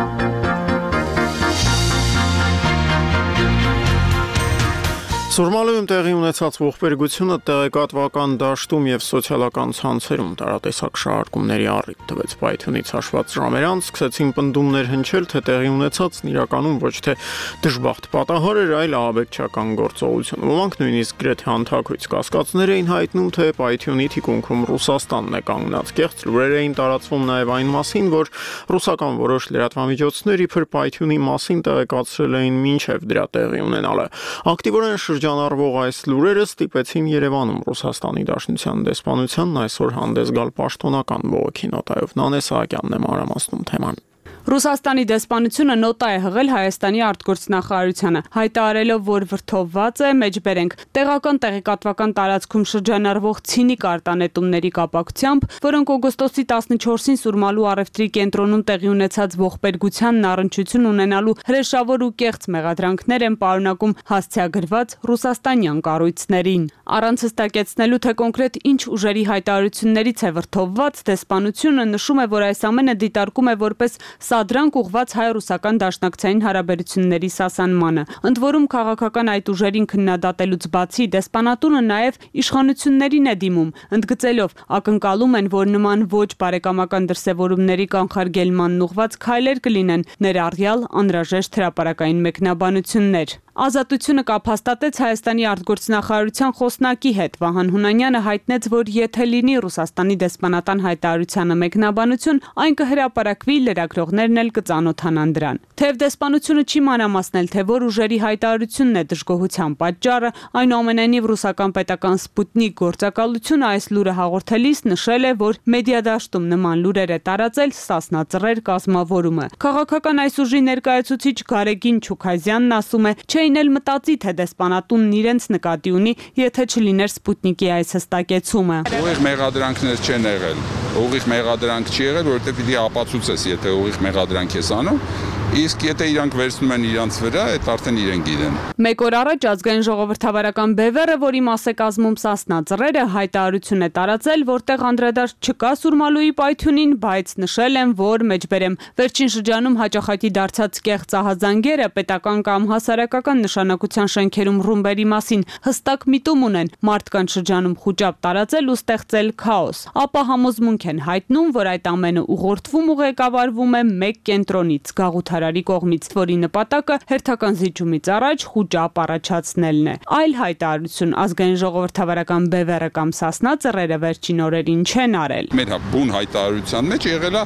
Սուրմալույում տեղի ունեցած ողբերգությունը տեղեկատվական դաշտում եւ սոցիալական ցանցերում տարատեսակ շարժումների առիթ տվեց։ Պայթյունից հաշված ժամեր անց սկսեցին պնդումներ հնչել, թե տեղի ունեցածն իրականում ոչ թե դժբախտ պատահար էր, այլ ահաբեկչական գործողություն։ Ոմանք նույնիսկ գրեթե անթակույց կասկածներ էին հայտնում, թե պայթյունի թիկունքում Ռուսաստանն է կանգնած։ Կեղծ լուրեր էին տարածվում նաեւ այն մասին, որ ռուսական որոշ լրատվամիջոցներ իբր պայթյունի մասին տեղեկացրել էին մինչև դրա տեղի ունենալը։ Ակտիվորեն շրջանառվող այս լուրերը ստիպեցին Երևանում Ռուսաստանի Դաշնության դեսպանությանն այսօր հանդես գալ պաշտոնական բողոքի նոտայով։ Նանե Սահակյանն է մանրամասնում թեման։ Ռուսաստանի դեսպանությունը նոտա է հղել Հայաստանի արտգործնախարարությանը, հայտարարելով, որ վրդովված է, մեջբերենք, տեղական տեղեկատվական տարածքում շրջանառվող ցինիկ արտանետումների կապակցությամբ, որոնք օգոստոսի 14-ին Սուրմալու առևտրի կենտրոնում տեղի ունեցած ողբերգությանն առնչություն ունենալու հրեշավոր ու կեղծ մեղադրանքներ են պարունակում հասցեագրված ռուսաստանյան կառույցներին։ Առանց հստակեցնելու, թե կոնկրետ ինչ ուժերի հայտարարություններից է վրդովված, դեսպանությունը նշում է, որ այս ամենը դիտարկում է որպես սադրանք ուղված հայ-ռուսական դաշնակցային հարաբերությունների սասանմանը։ Ընդ որում քաղաքական այդ ուժերին քննադատելուց բացի դեսպանատունը նաև իշխանություններին է դիմում, ընդգծելով ակնկալում են, որ նման ոչ բարեկամական դրսևորումների կանխարգելմանն ուղված քայլեր կլինեն, ներառյալ անհրաժեշտ հրապարակային մեկնաբանություններ։ Ազատությունը կապ հաստատեց Հայաստանի արտգործնախարարության խոսնակի հետ։ Վահան Հունանյանը հայտնեց, որ եթե լինի Ռուսաստանի դեսպանատան հայտարարությանը մեկնաբանություն, այն կհրապարակվի, լրագրողներն էլ կծանոթանան դրան։ Թեև դեսպանությունը չի մանրամասնել, թե որ ուժերի հայտարարությունն է դժգոհության պատճառը, այնուամենայնիվ ռուսական պետական Սպուտնիկ գործակալությունը այս լուրը հաղորդելիս նշել է, որ մեդիադաշտում նման լուրեր է տարածել Սասնա Ծռեր կազմավորումը։ Քաղաքական այս ուժի ներկայացուցիչ Գարեգին Չուքազյանն ասում է, չէին էլ մտածի, թե դեսպանատունն իրենց նկատի ունի, եթե չլիներ Սպուտնիկի այս հստակեցումը։ Ուղիղ մեղադրանքներ չեն եղել։ Ուղիղ մեղադրանք չի եղել, որովհետև պիտի ապացուցես, եթե ուղիղ մեղադրանք ես անում, իսկ եթե իրանք վերցնում են իրանց վրա, այդ արդեն իրենք գիտեն։ Մեկ օր առաջ ազգային ժողովրդավարական բևեռը, որի մաս է կազմում Սասնա Ծռերը, հայտարարություն է տարածել, որտեղ անդրադարձ չկա Սուրմալուի պայթյունին, բայց նշել են, որ մեջբերեմ վերջին շրջանում հաճախակի դարձած կեղծ ահազանգերը պետական կամ հասարակական նշանակության շենքերում ռումբերի մասին հստակ միտում ունեն, մարդկանց շրջանում խուճապ տարածել ու ստեղծել քաոս։ Ապա համոզմունք են հայտնում, որ այդ ամենը ուղղորդվում ու ղեկավարվում է մեկ կենտրոնից՝ գաղութարարի կողմից, որի նպատակը հերթական զիջումից առաջ խուճապ առաջացնելն է։ Այլ հայտարարություն ազգային ժողովրդավարական բևեռը կամ Սասնա Ծռերը վերջին օրերին չեն արել։ Մեր բուն հայտարարության մեջ եղել է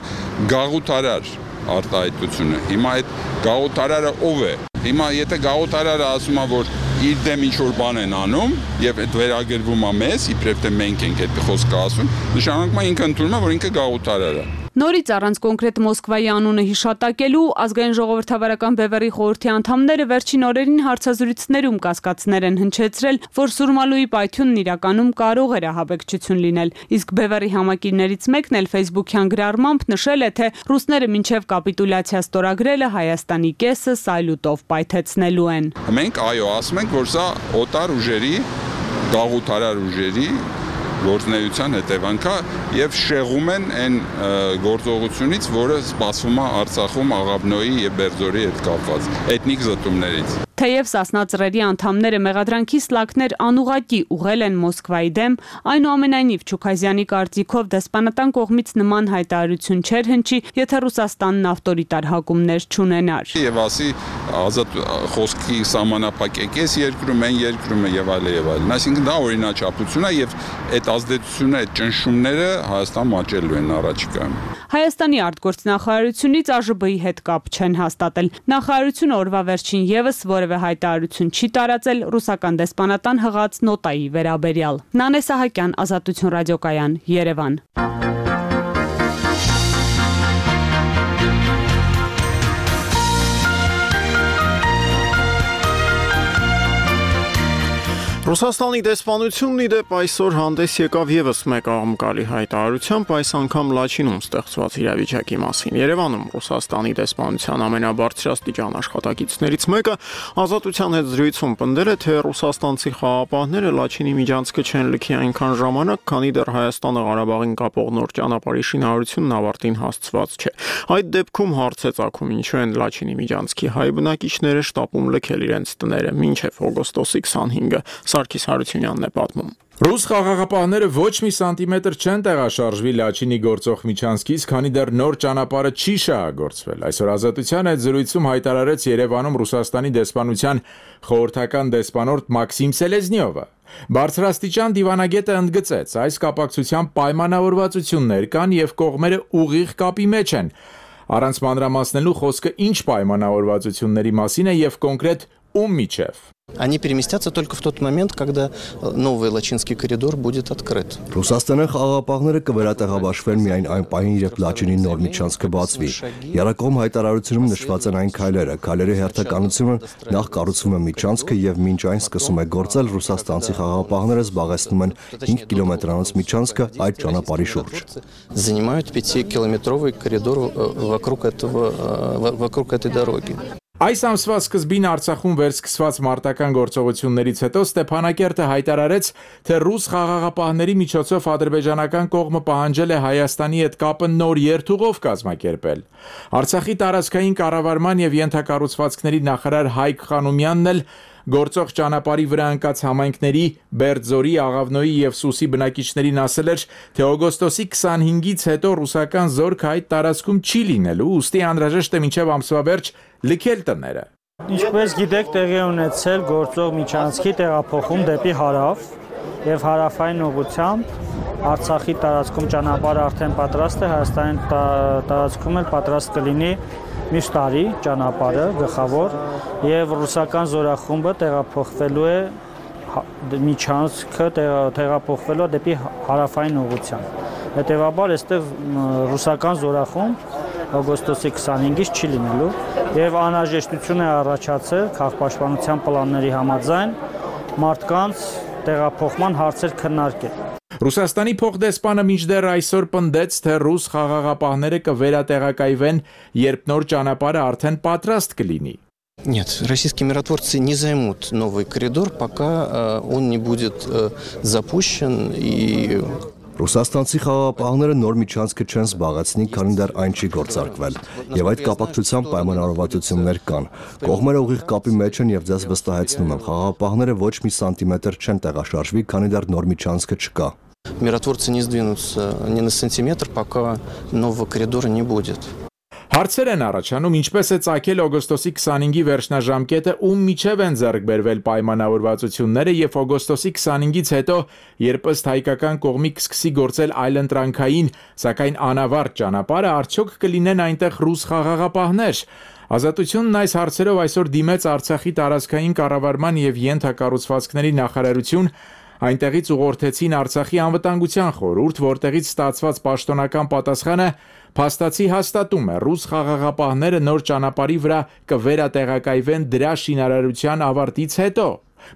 գաղութարար արտահայտությունը։ Հիմա այդ գաղութարարը ով է։ Հիմա եթե գաղութարարը ասում է, որ իր դեմ ինչ-որ բան են անում եւ այդ վերագրվում է մեզ, իբրև թե մենք ենք այդ խոսքը ասում, նշանակում է ինքը ընդունում է, որ ինքը գաղութարար է։ Նորից առանց կոնկրետ Մոսկվայի անունը հիշատակելու ազգային ժողովրդավարական բևեռի խորհրդի անդամները վերջին օրերին հարցազրույցներում կասկածներ են հնչեցրել, որ Սուրմալուի պայթյունն իրականում կարող էր ահաբեկչություն լինել, իսկ բևեռի համակիրներից մեկն էլ Facebook-յան գրառմամբ նշել է, թե ռուսները մինչև կապիտուլյացիա ստորագրելը Հայաստանի կեսը սայլուտով պայթեցնելու են։ Մենք այո, ասում ենք, որ սա օտար ուժերի, գաղութարար ուժերի գործնեության հետևանք է եւ շեղում են այն գործողությունից, որը սպասվում է Արցախում Աղավնոյի եւ Բերձորի հետ կապված էթնիկ զտումներից։ Թեև Սասնա ծռերի անդամները մեղադրանքի սլաքներ անուղղակի ուղղել են Մոսկվայի դեմ, այնուամենայնիվ Չուքազյանի կարծիքով դեսպանատան կողմից նման հայտարարություն չէր հնչի, եթե Ռուսաստանն ավտորիտար հակումներ չունենար։ Եվ ասի ազատ խոսքի սահմանափակեկես երկրում, այն երկրում եւ այլն։ Այսինքն դա օրինաչափություն է եւ այդ ազդեցությունը, այդ ճնշումները Հայաստան մաճելու են առաջիկայում։ Հայաստանի արտգործնախարարությունից ԱԺԲ-ի հետ կապ չեն հաստատել։ Նախարարությունը օրվա վերջին եւս որևէ հայտարարություն չի տարածել ռուսական դեսպանատան հղած նոտայի վերաբերյալ։ Նանե Սահակյան, Ազատություն ռադիոկայան, Երևան։ Ռուսաստանի դեսպանությունն ի դեպ այսօր հանդես եկավ եւս մեկ աղմկալի հայտարարությամբ, այս անգամ Լաչինում ստեղծված իրավիճակի մասին։ Երևանում Ռուսաստանի դեսպանության ամենաբարձրաստիճան աշխատակիցներից մեկը Ազատության հետ զրույցում պնդել է, թե ռուսաստանցի խաղապահները Լաչինի միջանցքը չեն լքի այնքան ժամանակ, քանի դեռ Հայաստանը Ղարաբաղին կապող նոր ճանապարհի շինարարությունն ավարտին հասցված չէ։ Այդ դեպքում հարց է ծագում, ինչու են Լաչինի միջանցքի հայ բնակիչները շտապում լքել իրենց տները մինչև օգոստոսի 25-ը։ Սարգիս Հարությունյանն է պատմում։ Ռուս խաղաղապահները ոչ մի սանտիմետր չեն տեղաշարժվի Լաչինի գործող միջանցքից, քանի դեռ նոր ճանապարհը չի շահագործվել։ Այսօր Ազատության այդ զրույցում հայտարարեց Երևանում Ռուսաստանի դեսպանության խորհրդական դեսպանորդ Մաքսիմ Սելեզնիովը։ Բարձրաստիճան դիվանագետը ընդգծեց, այս կապակցությամբ պայմանավորվածություններ կան եւ կողմերը ուղիղ կապի մեջ են։ Առանց մանրամասնելու խոսքը ինչ պայմանավորվածությունների մասին է եւ կոնկրետ ում միջև։ Они переместятся только в тот момент, когда новый Лачинский коридор будет открыт. Ռուսաստանի խաղապահները կվերատեղաբաշխվեն միայն այն պահին, երբ Լաչինի նոր միջանցքը բացվի։ Եռակողմ հայտարարությունում նշված են այն քայլերը։ Քայլերի հերթականությունը նախ կառուցվում է միջանցքը եւ մինչ այն սկսում է գործել, ռուսաստանցի խաղապահները զբաղեցնում են 5 կիլոմետրանոց միջանցքը այդ ճանապարհի շուրջ։ Занимают 5-километровый коридор вокруг этой дороги. Այս ամսվա սկզբին Արցախում վերսկսված մարտական գործողություններից հետո Ստեփանակերտը հայտարարեց, թե ռուս խաղաղապահների միջոցով ադրբեջանական կողմը պահանջել է Հայաստանի հետ կապը նոր երթուղով կազմակերպել։ Արցախի տարածքային կառավարման եւ ենթակառուցվածքների նախարար Հայկ Խանոմյանն էլ գործող ճանապարհի վրա ընկած համայնքների Բերձորի, Աղավնոյի եւ Սուսի բնակիչներին ասել էր, թե օգոստոսի 25-ից հետո ռուսական զորք այդ տարածքում չի լինելու, ուստի անհրաժեշտ է մինչեւ ամսվա վերջ լքել տները։ Ինչպես գիտեք, տեղի ունեցել գործող միջանցքի տեղափոխում դեպի հարավ եւ հարավային ուղղությամբ Արցախի տարածքում ճանապարհը արդեն պատրաստ է, Հայաստանի տարածքում էլ պատրաստ կլինի միշտ տարի ճանապարհը գլխավոր եւ ռուսական զորախումբը տեղափոխվելու է միջանցքը տեղափոխվելու դեպի հարավային ուղղությամբ։ Հետևաբար այստեղ ռուսական զորախումբ օգոստոսի 25-ից չի լինելու եւ անհրաժեշտություն է առաջացել քաղաքապաշտպանության պլանների համաձայն մարդկանց տեղափոխման հարցեր քննարկել։ Ռուսաստանի փոխդեսպանը մինչդեռ այսօր պնդեց, թե ռուս խաղաղապահները կվերատեղակայվեն, երբ նոր ճանապարհը արդեն պատրաստ կլինի։ Нет, российские миротворцы не займут новый коридор, пока он не будет запущен и Ռուսաստանցի խաղապահները նոր միջանցքը չեն զբաղեցնի, քանի դեռ այն չի գործարկվել, եւ այդ կապակցությամբ պայմանավորվածություններ կան։ Կողմերը ուղիղ կապի մեջ են եւ ձեզ վստահեցնում եմ, խաղապահները ոչ մի սանտիմետր չեն տեղաշարժվի, քանի դեռ նոր միջանցքը չկա։ Миротворцы не сдвинутся ни на сантиметр, пока нового коридора не будет. Հարցեր են առաջանում, ինչպես է ծագել օգոստոսի 25-ի վերջնաժամկետը, ում միջև են ձեռք բերվել պայմանավորվածությունները եւ օգոստոսի 25-ից հետո, երբ ըստ հայկական կողմի կսկսի գործել այլընտրանքային, սակայն անավարտ ճանապարհը, արդյոք կլինեն այնտեղ ռուս խաղաղապահներ։ Ազատությունն այս հարցերով այսօր դիմեց Արցախի տարածքային կառավարման եւ ենթակառուցվածքների նախարարություն, այնտեղից ուղղորդեցին Արցախի անվտանգության խորհուրդ, որտեղից ստացված պաշտոնական պատասխանը փաստացի հաստատում է, ռուս խաղաղապահները նոր ճանապարհի վրա կվերատեղակայվեն դրա շինարարության ավարտից հետո։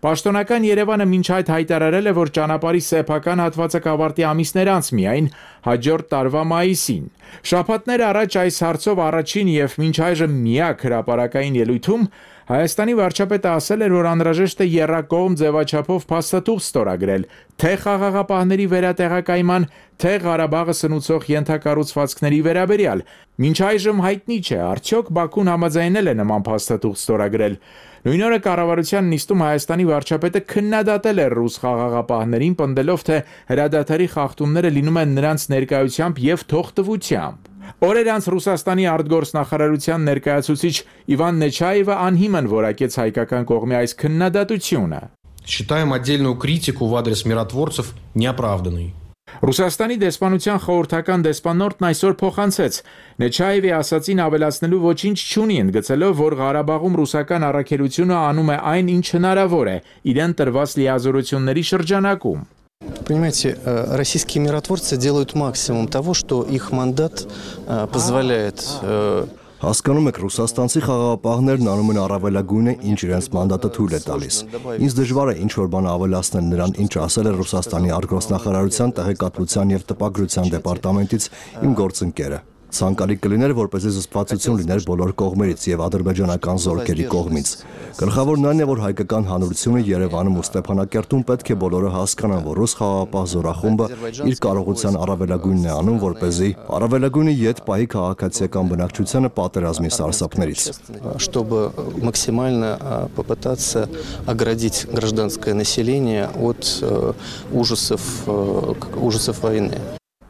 Պաշտոնական Երևանը մինչ այդ հայտարարել է, որ ճանապարհի սեփական հատվածը կավարտի ամիսներ անց միայն հաջորդ տարվա մայիսին։ Շաբաթներ առաջ այս հարցով առաջին եւ մինչ այժմ միակ հրապարակային ելույթում Հայաստանի վարչապետը ասել էր, որ անհրաժեշտ է եռակողմ ձևաչափով փաստաթուղթ ստորագրել թե խաղաղապահների վերատեղակայման, թե Ղարաբաղը սնուցող ենթակառուցվածքների վերաբերյալ։ Մինչ այժմ հայտնի չէ, արդյոք Բաքուն համաձայնել է նման փաստաթուղթ ստորագրել։ Նույն օրը կառավարության նիստում Հայաստանի վարչապետը քննադատել է ռուս խաղաղապահներին, պնդելով, թե հրադադարի խախտումները լինում են նրանց ներկայությամբ եւ թողտվությամբ։ Օրեր անց Ռուսաստանի արտգործնախարարության ներկայացուցիչ Իվան Նեչաևը անհիմն որակեց հայկական կողմի այս քննադատությունը։ Считаем отдельную критику в адрес миротворцев неоправданной. Ռուսաստանի դեսպանության խորհրդական դեսպանորդն այսօր փոխանցեց Նեչաևի ասացին ավելացնելու ոչինչ չունի, ընդգծելով, որ Ղարաբաղում ռուսական առաքելությունը անում է այն, ինչ հնարավոր է իրեն տրված լիազորությունների շրջանակում։ Понимаете, российские миротворцы делают максимум того, что их мандат позволяет. Հասկանում եք, ռուսաստանցի խաղաղապահներն անում են առավելագույնը, ինչ իրենց մանդատը թույլ է տալիս։ Ինձ դժվար է ինչ-որ բան ավելացնել նրան, ինչ ասել է Ռուսաստանի արտգործնախարարության տեղեկատվության եւ տպագրության դեպարտամենտից իմ գործընկերը։ Ցանկալի կլիներ, որպեսզի զսպվածություն լիներ բոլոր կողմերից եւ ադրբեջանական զորքերի կողմից։ Գլխավորն այն է, որ հայկական հանրությունը Երևանում ու Ստեփանակերտում պետք է բոլորը հասկանան, որ ռուս խաղաղապահ զորախումբը իր կարողության առավելագույնն է անում, որպեսզի առավելագույնը յետ պահի քաղաքացիական բնակչությանը պատերազմի սարսափներից, чтобы максимально попытаться оградить гражданское население от ужасов войны.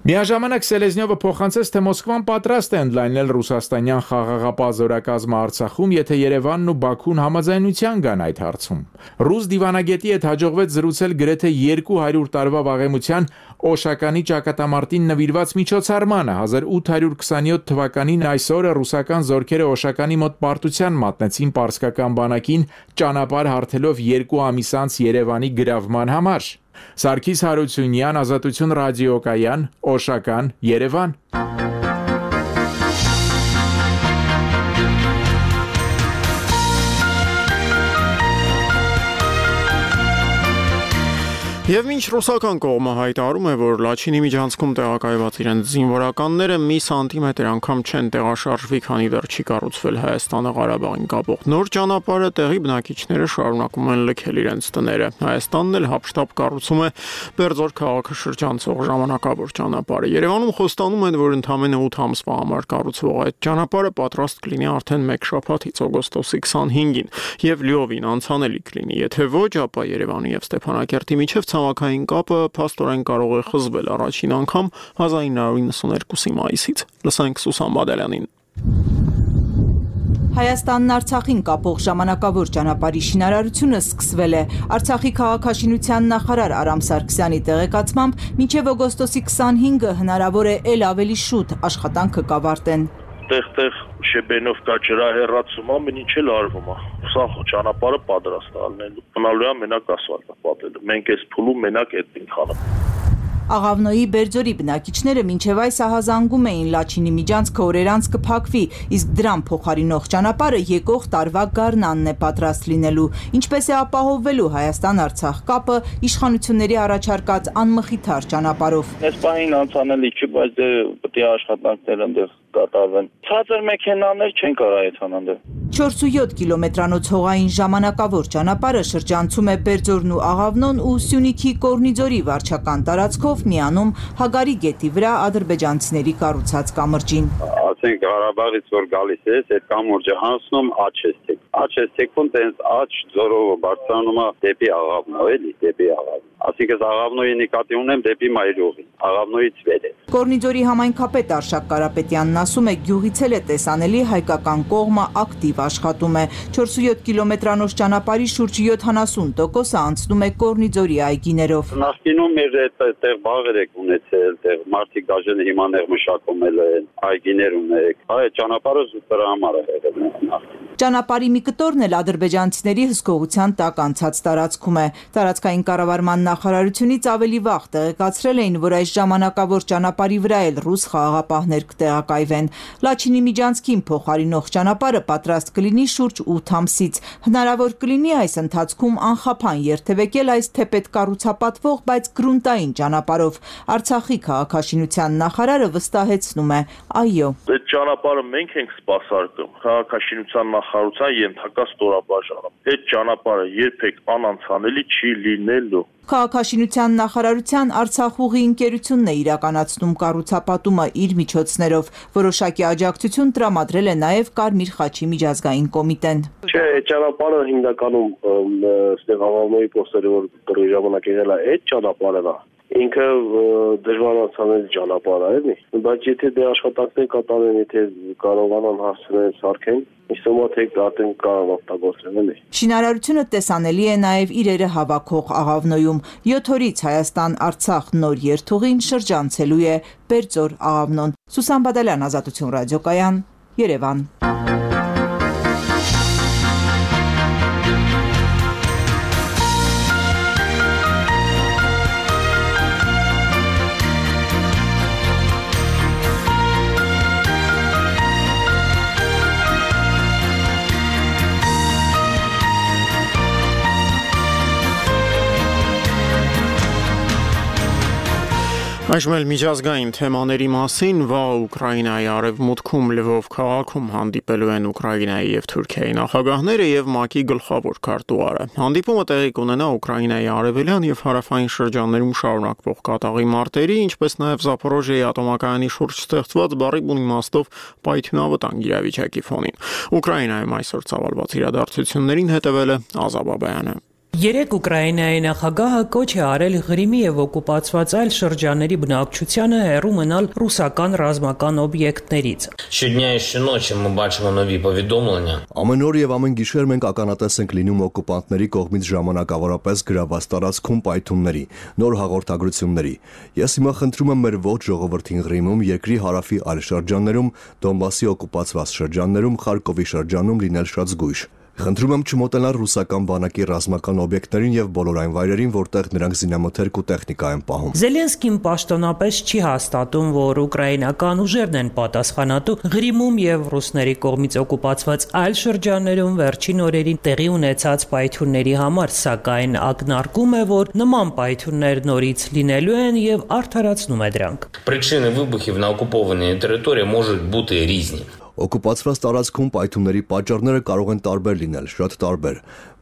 Միաժամանակ Սելեզնյովը փոխանցեց, թե Մոսկվան պատրաստ է ընդլայնել ռուսաստանյան խաղաղապահ զորակազմը Արցախում, եթե Երևանն ու Բաքուն համաձայնության գան այդ հարցում։ Ռուս դիվանագետի հետ հաջողվեց զրուցել գրեթե 200 տարվա վաղեմության Օշականի ճակատամարտին նվիրված միջոցառմանը 1827 թվականին այս օրը ռուսական զորքերը Օշականի մոտ պարտության մատնեցին պարսկական բանակին ճանապարհ հարթելով 2 ամիս անց Երևանի գրավման համար։ Սարգիս Հարությունյան, Ազատություն ռադիոկայան, Օշական, Երևան։ Եվ մինչ ռուսական կողմը հայտարարում է, որ Լաչինի միջանցքում տեղակայված իրենց զինվորականները մի սանտիմետր անգամ չեն տեղաշարժվի, քանի դեռ չի կառուցվել Հայաստանը Ղարաբաղին կապող նոր ճանապարհը, տեղի բնակիչները շարունակում են լքել իրենց տները։ Հայաստանն էլ հապշտապ կառուցում է Բերձոր քաղաքը շրջանցող ժամանակավոր ճանապարհը։ Երևանում խոստանում են, որ ընդամենը 8 ամսվա համար կառուցվող այդ ճանապարհը պատրաստ կլինի արդեն 1 շաբաթից օգոստոսի 25-ին եւ լիովին անցանելի կլինի։ Եթե ոչ, ապա Երևանի եւ Ստեփանակերտի միջև ցամաքային կապը փաստորեն կարող է խզվել առաջին անգամ 1992-ի մայիսից։ Լսենք Սուսան Բադալյանին։ Հայաստանն Արցախին կապող ժամանակավոր ճանապարհի շինարարությունը սկսվել է։ Արցախի քաղաքաշինության նախարար Արամ Սարգսյանի տեղեկացմամբ մինչև օգոստոսի 25-ը հնարավոր է ել ավելի շուտ աշխատանքը կավարտեն։ Տեղ շեբենով կա ջրահեռացումը, մինչ էլ արվում է։ Սա ճանապարհը պատրաստ է ալնելու։ Մնալու է մենակ ասֆալտը պատելու։ Մենք այս փուլում մենակ այդ ենք անում։ Աղավնոյի Բերձորի բնակիչները մինչև այս ահազանգում էին Լաչինի միջանցքը օրեր անց կփակվի, իսկ դրան փոխարինող ճանապարհը եկող տարվա գարնանն է պատրաստ լինելու։ Ինչպես է ապահովվելու Հայաստան-Արցախ կապը իշխանությունների առաջարկած անմխիթար ճանապարհով։ Այս պահին անցանելի չի, բայց պետք է աշխատանքներ այնտեղ կատարվեն։ Ցածր մեքենաներ չեն կարող այդ անանդել։ 4.7 կիլոմետրանոց հողային ժամանակավոր ճանապարհը շրջանցում է Բերձորն ու Աղավնոն ու Սյունիքի Կորնիձորի վարչական տարածքով միանում Հագարի գետի վրա ադրբեջանցիների կառուցած կամրջին։ Ասենք Ղարաբաղից որ գալիս է, այդ կամուրջը հանցնում Աչեստեկ։ Աչեստեկում տենց աչ ձորով բարձրանում է դեպի Աղավնո, էլի, դեպի Աղավնո։ Այսինքն Աղավնոյի նկատի ունեմ դեպի Մայրուղի, Աղավնոյից վեր է։ Կորնիձորի համայնքապետ Արշակ Կարապետյանն ասում է, գյուղից էլ է տեսանելի հայկական կողմը ակտիվ աշխատում է։ 4.7 կիլոմետրանոց ճանապարհի շուրջ 70%-ը անցնում է Կորնիձորի այգիներով։ Նախկինում մեր այդտեղ բաղեր եք ունեցել, այդտեղ մարդիկ դաժան հիմա ներ մշակում են, այգիներ ունեք։ Այդ ճանապարհը զուտրա համար է եղել։ Ճանապարհի մի կտորն էլ ադրբեջանցիների հսկողության տակ անցած տարածքում է։ Տարածքային կառավարման նախարարությունից ավելի վաղ տեղեկացրել էին, որ այս ժամանակավոր ճանապարհի վրա էլ ռուս խաղաղապահներ կտեղակայվեն։ Լաչինի միջանցքին փոխարինող ճանապարհը պատրաստ կլինի շուրջ 8 ամսից։ Հնարավոր կլինի այս ընթացքում անխափան երթևեկել այս թեպետ կառուցապատվող, բայց գրունտային ճանապարհով։ Արցախի քաղաքաշինության նախարարը վստահեցնում է. այո։ Այդ ճանապարհը մենք ենք սպասարկում քաղաքաշինության նախարարության ենթակա ստորաբաժանում։ Այդ ճանապարհը երբեք անանցանելի չի լինելու։ Քաղաքաշինության նախարարության Արցախուղի ընկերությունն է իրականացնում կառուցապատումը իր միջոցներով։ Որոշակի աջակցություն տրամադրել է նաև Կարմիր խաչի միջազգային կոմիտեն։ Չէ, այդ ճանապարհը հիմնականում այստեղ հավանների փոստերը որ դրի ժամանակ եղել է, այդ ճանապարհն է։ Ինքը դժվարացանելի ճանապարհ է, էլի։ Բայց եթե դե աշխատանքներ կատարեն, եթե կարողանան հասցնել սարքեն, իսկոմա թե արդեն կարող օգտագործեն, էլի։ Շինարարությունը տեսանելի է նաև իրերը հավաքող աղավնոյում։ 7 օրից Հայաստան-Արցախ նոր երթուղին շրջանցելու է Բերձոր աղավնոն։ Սուսան Բադալյան, Ազատություն ռադիոկայան, Երևան։ Այժմ էլ միջազգային թեմաների մասին վաղ Ուկրաինայի արևմուտքում Լվով քաղաքում հանդիպելու են Ուկրաինայի եւ Թուրքիայի նախագահները եւ ՄԱԿ-ի գլխավոր քարտուղարը։ Հանդիպումը տեղի կունենա Ուկրաինայի արևելյան եւ հարավային շրջաններում շարունակվող կատաղի մարտերի, ինչպես նաեւ Զապորոժիայի ատոմակայանի շուրջ ստեղծված բառի իմաստով պայթյունավտանգ իրավիճակի ֆոնին։ Ուկրաինայում այսօր ծավալված իրադարձություններին հետևել է Ազատ Բաբայանը։ Երեկ Ուկրաինայի նախագահը կոչ է արել Ղրիմի եւ օկուպացված այլ շրջանների բնակչությանը հեռու մնալ ռուսական ռազմական օբյեկտներից։ Ամեն օր եւ ամեն գիշեր մենք ականատես ենք լինում օկուպանտների կողմից ժամանակավորապես գրաված տարածքում պայթյունների, նոր հաղորդագրությունների։ Ես հիմա խնդրում եմ մեր ողջ ժողովրդին Ղրիմում, երկրի հարավի այլ շրջաններում, Դոնբասի օկուպացված շրջաններում, Խարկովի շրջանում լինել շատ զգույշ։ Խնդրում եմ չմոտենալ ռուսական բանակի ռազմական օբյեկտներին եւ բոլոր այն վայրերին, որտեղ նրանք զինամթերք ու տեխնիկա են պահում։ Զելենսկին պաշտոնապես չի հաստատում, որ ուկրաինական ուժերն են պատասխանատու Ղրիմում եւ ռուսների կողմից օկուպացված այլ շրջաններում վերջին օրերին տեղի ունեցած պայթյունների համար, սակայն ակնարկում է, որ նման պայթյուններ նորից լինելու են եւ արդարացնում է դրանք։ Причини вибухів на окупованій території можуть бути різні. Օկուպացված տարածքում պայթյունների պատճառները կարող են տարբեր լինել, շատ տարբեր,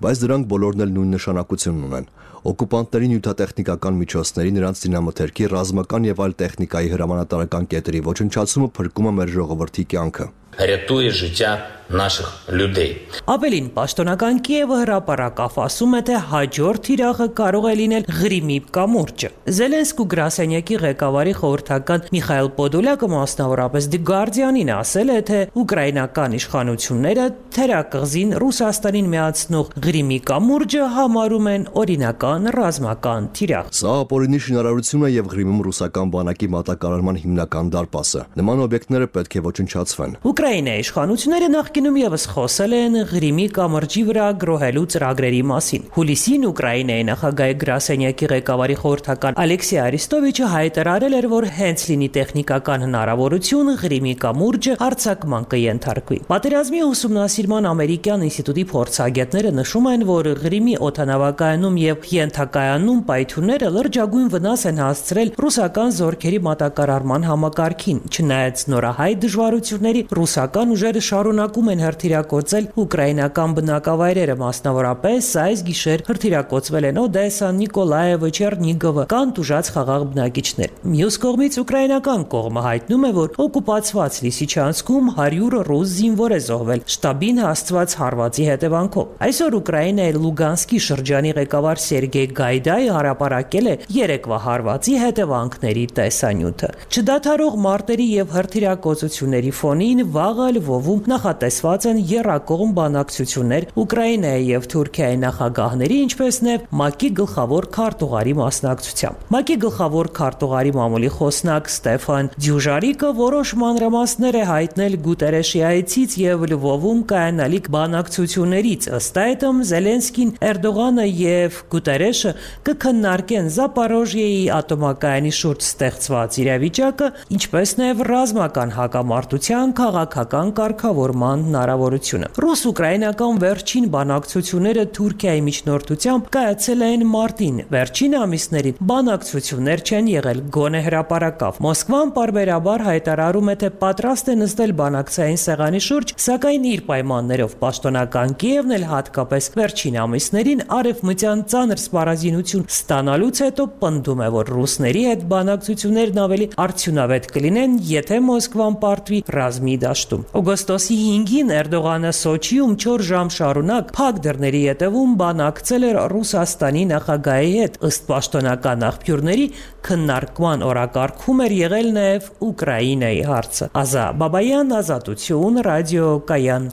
բայց դրանք բոլորն էլ նույն նշանակությունն ունեն։ Օկուպանտների նյութատեխնիկական միջոցների, նրանց զինամթերքի, ռազմական եւ այլ տեխնիկայի հրամանատարական կետերի ոչնչացումը փրկում է մեր ժողովրդի կյանքը։ Рятує життя наших людей. Ավելին, պաշտոնական Կիևը հրապարակավ ասում է, թե հաջորդ թիրախը կարող է լինել Ղրիմի կամուրջը։ Զելենսկու գրասենյակի ղեկավարի խորհրդական Միխայել Պոդոլյակը մասնավորապես The Guardian-ին ասել է, թե ուկրաինական իշխանությունները թերակղզին Ռուսաստանին միացնող Ղրիմի կամուրջը համարում են օրինական ռազմական թիրախ։ Սա ապօրինի շինարարություն է եւ Ղրիմում ռուսական բանակի մատակարարման հիմնական դարպասը։ Նման օբյեկտները պետք է ոչնչացվեն։ Ուկրաինայի իշխանությունները նախկինում եւս խոսել են Ղրիմի կամրջի վրա գրոհելու ծրագրերի մասին։ Հուլիսին Ուկրաինայի նախագահի գրասենյակի ղեկավարի խորհրդական Ալեքսեյ Արիստովիչը հայտարարել էր, որ հենց լինի տեխնիկական հնարավորություն Ղրիմի կամուրջը արձակման կենթարկվի։ Պատերազմի ուսումնասիրման ամերիկյան ինստիտուտի փորձագետները նշում են, որ Ղրիմի օդանավակայանում եւ ենթակայանում պայթյունները լրջագույն վնաս են հասցրել ռուսական զորքերի մատակարարման համակարգին, չնայած նորահայտ դժվարությունների ռուսական ուժերը շարունակում են հրթիռակոծել ուկրաինական բնակավայրերը, մասնավորապես այս գիշեր հրթիռակոծվել են Օդեսա, Նիկոլաևը, Չեռնիգովը, կան տուժած խաղաղ բնակիչներ։ Մյուս կողմից ուկրաինական կողմը հայտնում է, որ օկուպացված Լիսիչանսկում 100 ռուս զինվոր է զոհվել շտաբին հասցված հարվածի հետևանքով։ Այսօր Ուկրաինայի Լուգանսկի շրջանի ղեկավար Սերգեյ Գայդայը հրապարակել է երեկվա հարվածի հետևանքների տեսանյութը։ Չդադարող մարտերի եւ հրթիռակոծությունների ֆոնին վաղը Լվովում նախատեսված են եռակողմ բանակցություններ Ուկրաինայի եւ Թուրքիայի նախագահների, ինչպես նաեւ ՄԱԿ-ի գլխավոր քարտուղարի մասնակցությամբ։ ՄԱԿ-ի գլխավոր քարտուղարի մամուլի խոսնակ Ստեֆան Դյուժարիկը որոշ մանրամասներ է հայտնել Գուտերեշի այցից եւ Լվովում կայանալիք բանակցություններից։ Ըստ այդմ Զելենսկին, Էրդողանը եւ Գուտերեշը կքննարկեն Զապարոժիեի ատոմակայանի շուրջ ստեղծված իրավիճակը, ինչպես նաեւ ռազմական հակամարտության քաղաքական կարգավորման հնարավորությունը։ Ռուս-ուկրաինական վերջին բանակցությունները Թուրքիայի միջնորդությամբ կայացել են մարտին։ Վերջին ամիսներին բանակցություններ չեն եղել գոնե հրապարակավ։ Մոսկվան պարբերաբար հայտարարում է, թե պատրաստ է նստել բանակցային սեղանի շուրջ, սակայն իր պայմաններով պաշտոնական Կիևն էլ հատկապես վերջին ամիսներին արևմտյան ծանր սպառազինություն ստանալուց հետո պնդում է, որ ռուսների հետ բանակցություններն ավելի արդյունավետ կլինեն, եթե Մոսկվան պարտվի ռազմի դաշտում։ Օգոստոսի 5-ին Էրդողանը Սոչիում 4 ժամ շարունակ փակ դռների ետևում բանակցել էր Ռուսաստանի նախագահի հետ։ Ըստ պաշտոնական աղբյուրների, քննարկման օրակարգում էր եղել նաև Ուկրաինայի հարցը։ Ազա Բաբայան, Ազատություն, Ռադիո Կայան։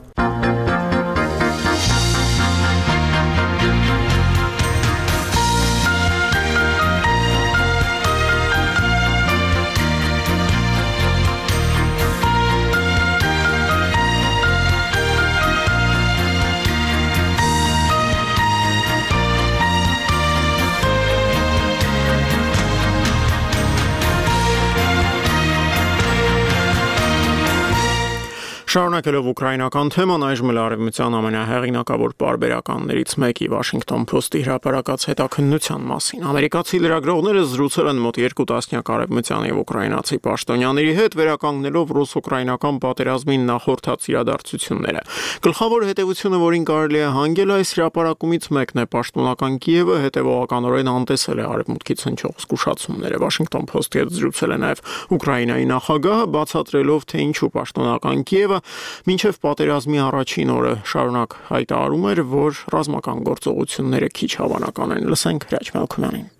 Շարունակելով ուկրաինական թեման, այժմ էլ արևմտյան ամենահեղինակավոր պարբերականներից մեկի Washington Post-ի հրապարակած հետաքննության մասին։ Ամերիկացի լրագրողները զրուցել են մոտ 2 տասնյակ արևմտյան եւ ուկրաինացի պաշտոնյաների հետ, վերականգնելով ռուս-ուկրաինական պատերազմին նախորդած իրադարձությունները։ Գլխավոր հետևությունը, որին կարելի է հանգել այս հրապարակումից մեկն է, պաշտոնական Կիևը հետևողականորեն անտեսել է արևմուտքից հնչող զգուշացումները։ Washington Post-ի հետ զրուցել է նաեւ Ուկրաինայի նախագահը, բացատրելով, թե ինչու պաշտոնական Կիևը մինչև պատերազմի առաջին օրը շարունակ հայտարարում էր, որ ռազմական գործողությունները քիչ հավանական են։ Լսենք Հրաչ Մալքումյանին։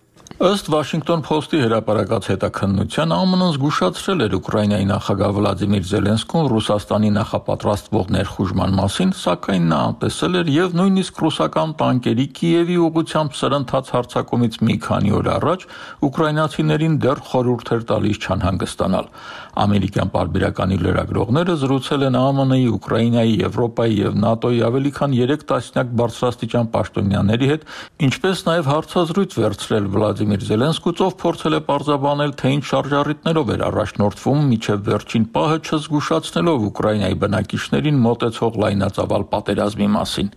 Ըստ Washington Post-ի հրապարակած հետաքննության, ԱՄՆ-ն զգուշացրել էր Ուկրաինայի նախագահ Վլադիմիր Զելենսկուն Ռուսաստանի նախապատրաստվող ներխուժման մասին, սակայն նա անտեսել էր եւ նույնիսկ ռուսական տանկերի Կիևի ուղղությամբ սրընթաց հարձակումից մի քանի օր առաջ ուկրաինացիներին դեռ խորհուրդ էր տալիս չանհանգստանալ։ Ամերիկյան պարբերականի լրագրողները զրուցել են ԱՄՆ-ի, Ուկրաինայի, Եվրոպայի եւ ՆԱՏՕ-ի ավելի քան 3 տասնյակ բարձրաստիճան պաշտոնյաների հետ, ինչպես նաեւ հարցազրույց վերցրել Վլադիմիր Զելենսկուց, ով փորձել է պարզաբանել, թե ինչ շարժառիթներով էր առաջնորդվում մինչև վերջին պահը չզգուշացնելով Ուկրաինայի բնակիչներին մոտեցող լայնածավալ պատերազմի մասին։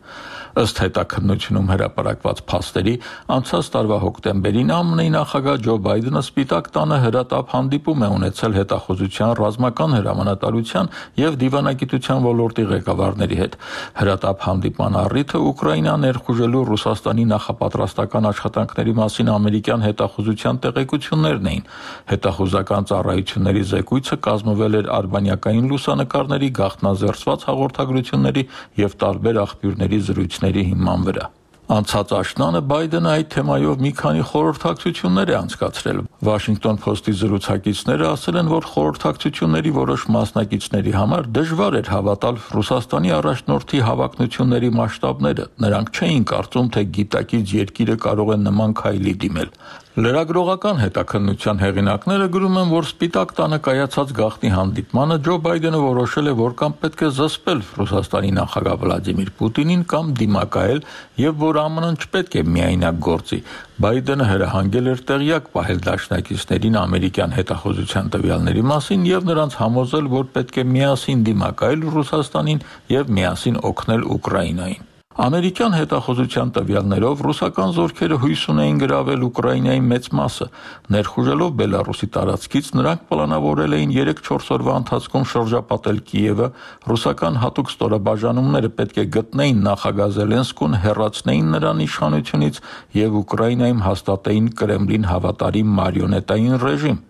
Ըստ հետաքննությունում հրապարակված փաստերի, անցած տարվա հոկտեմբերին ԱՄՆ-ի նախագահ Ջո Բայդենը Սպիտակ տանը հրատապ հանդիպում է ունեցել հետախուզության, ռազմական հրամանատարության եւ դիվանագիտության ոլորտի ղեկավարների հետ։ Հրատապ հանդիպման առիթը Ուկրաինա ներխուժելու Ռուսաստանի նախապատրաստական աշխատանքների մասին ամերիկյան հետախուզության տեղեկություններն էին։ Հետախուզական ծառայությունների զեկույցը կազմվել էր արբանյակային լուսանկարների, գաղտնազերծված հաղորդագրությունների եւ տարբեր աղբյուրների զրույցների հիման վրա։ Անցած աշնանը Բայդենը այդ թեմայով մի քանի խորհրդակցություններ է անցկացրել։ Washington Post-ի զրուցակիցները ասել են, որ խորհրդակցությունների որոշ մասնակիցների համար դժվար էր հավատալ Ռուսաստանի առաջնորդի հավակնությունների մասշտաբները։ Նրանք չէին կարծում, թե գիտակից երկիրը կարող է նման քայլի դիմել։ Լրագրողական հետաքննության հեղինակները գրում են, որ Սպիտակ տանը կայացած գաղտնի հանդիպմանը Ջո Բայդենը որոշել է, որ կամ պետք է զսպել Ռուսաստանի նախագահ Վլադիմիր Պուտինին կամ դիմակայել եւ որ ԱՄՆ-ն չպետք է միայնակ գործի։ Բայդենը հրահանգել էր տեղյակ պահել դաշնակիցներին ամերիկյան հետախուզության տվյալների մասին եւ նրանց համոզել, որ պետք է միասին դիմակայել Ռուսաստանին եւ միասին օգնել Ուկրաինային։ Ամերիկյան հետախուզության տվյալներով ռուսական զորքերը հույս ունեին գրավել Ուկրաինայի մեծ մասը։ Ներխուժելով Բելարուսի տարածքից նրանք պլանավորել էին 3-4 օրվա ընթացքում շրջապատել Կիևը, ռուսական հատուկ ստորաբաժանումները պետք է գտնեին նախագահ Զելենսկուն, հեռացնեին նրան իշխանությունից եւ Ուկրաինայում հաստատեին Կրեմլին հավատարիմ մարիոնետային ռեժիմ։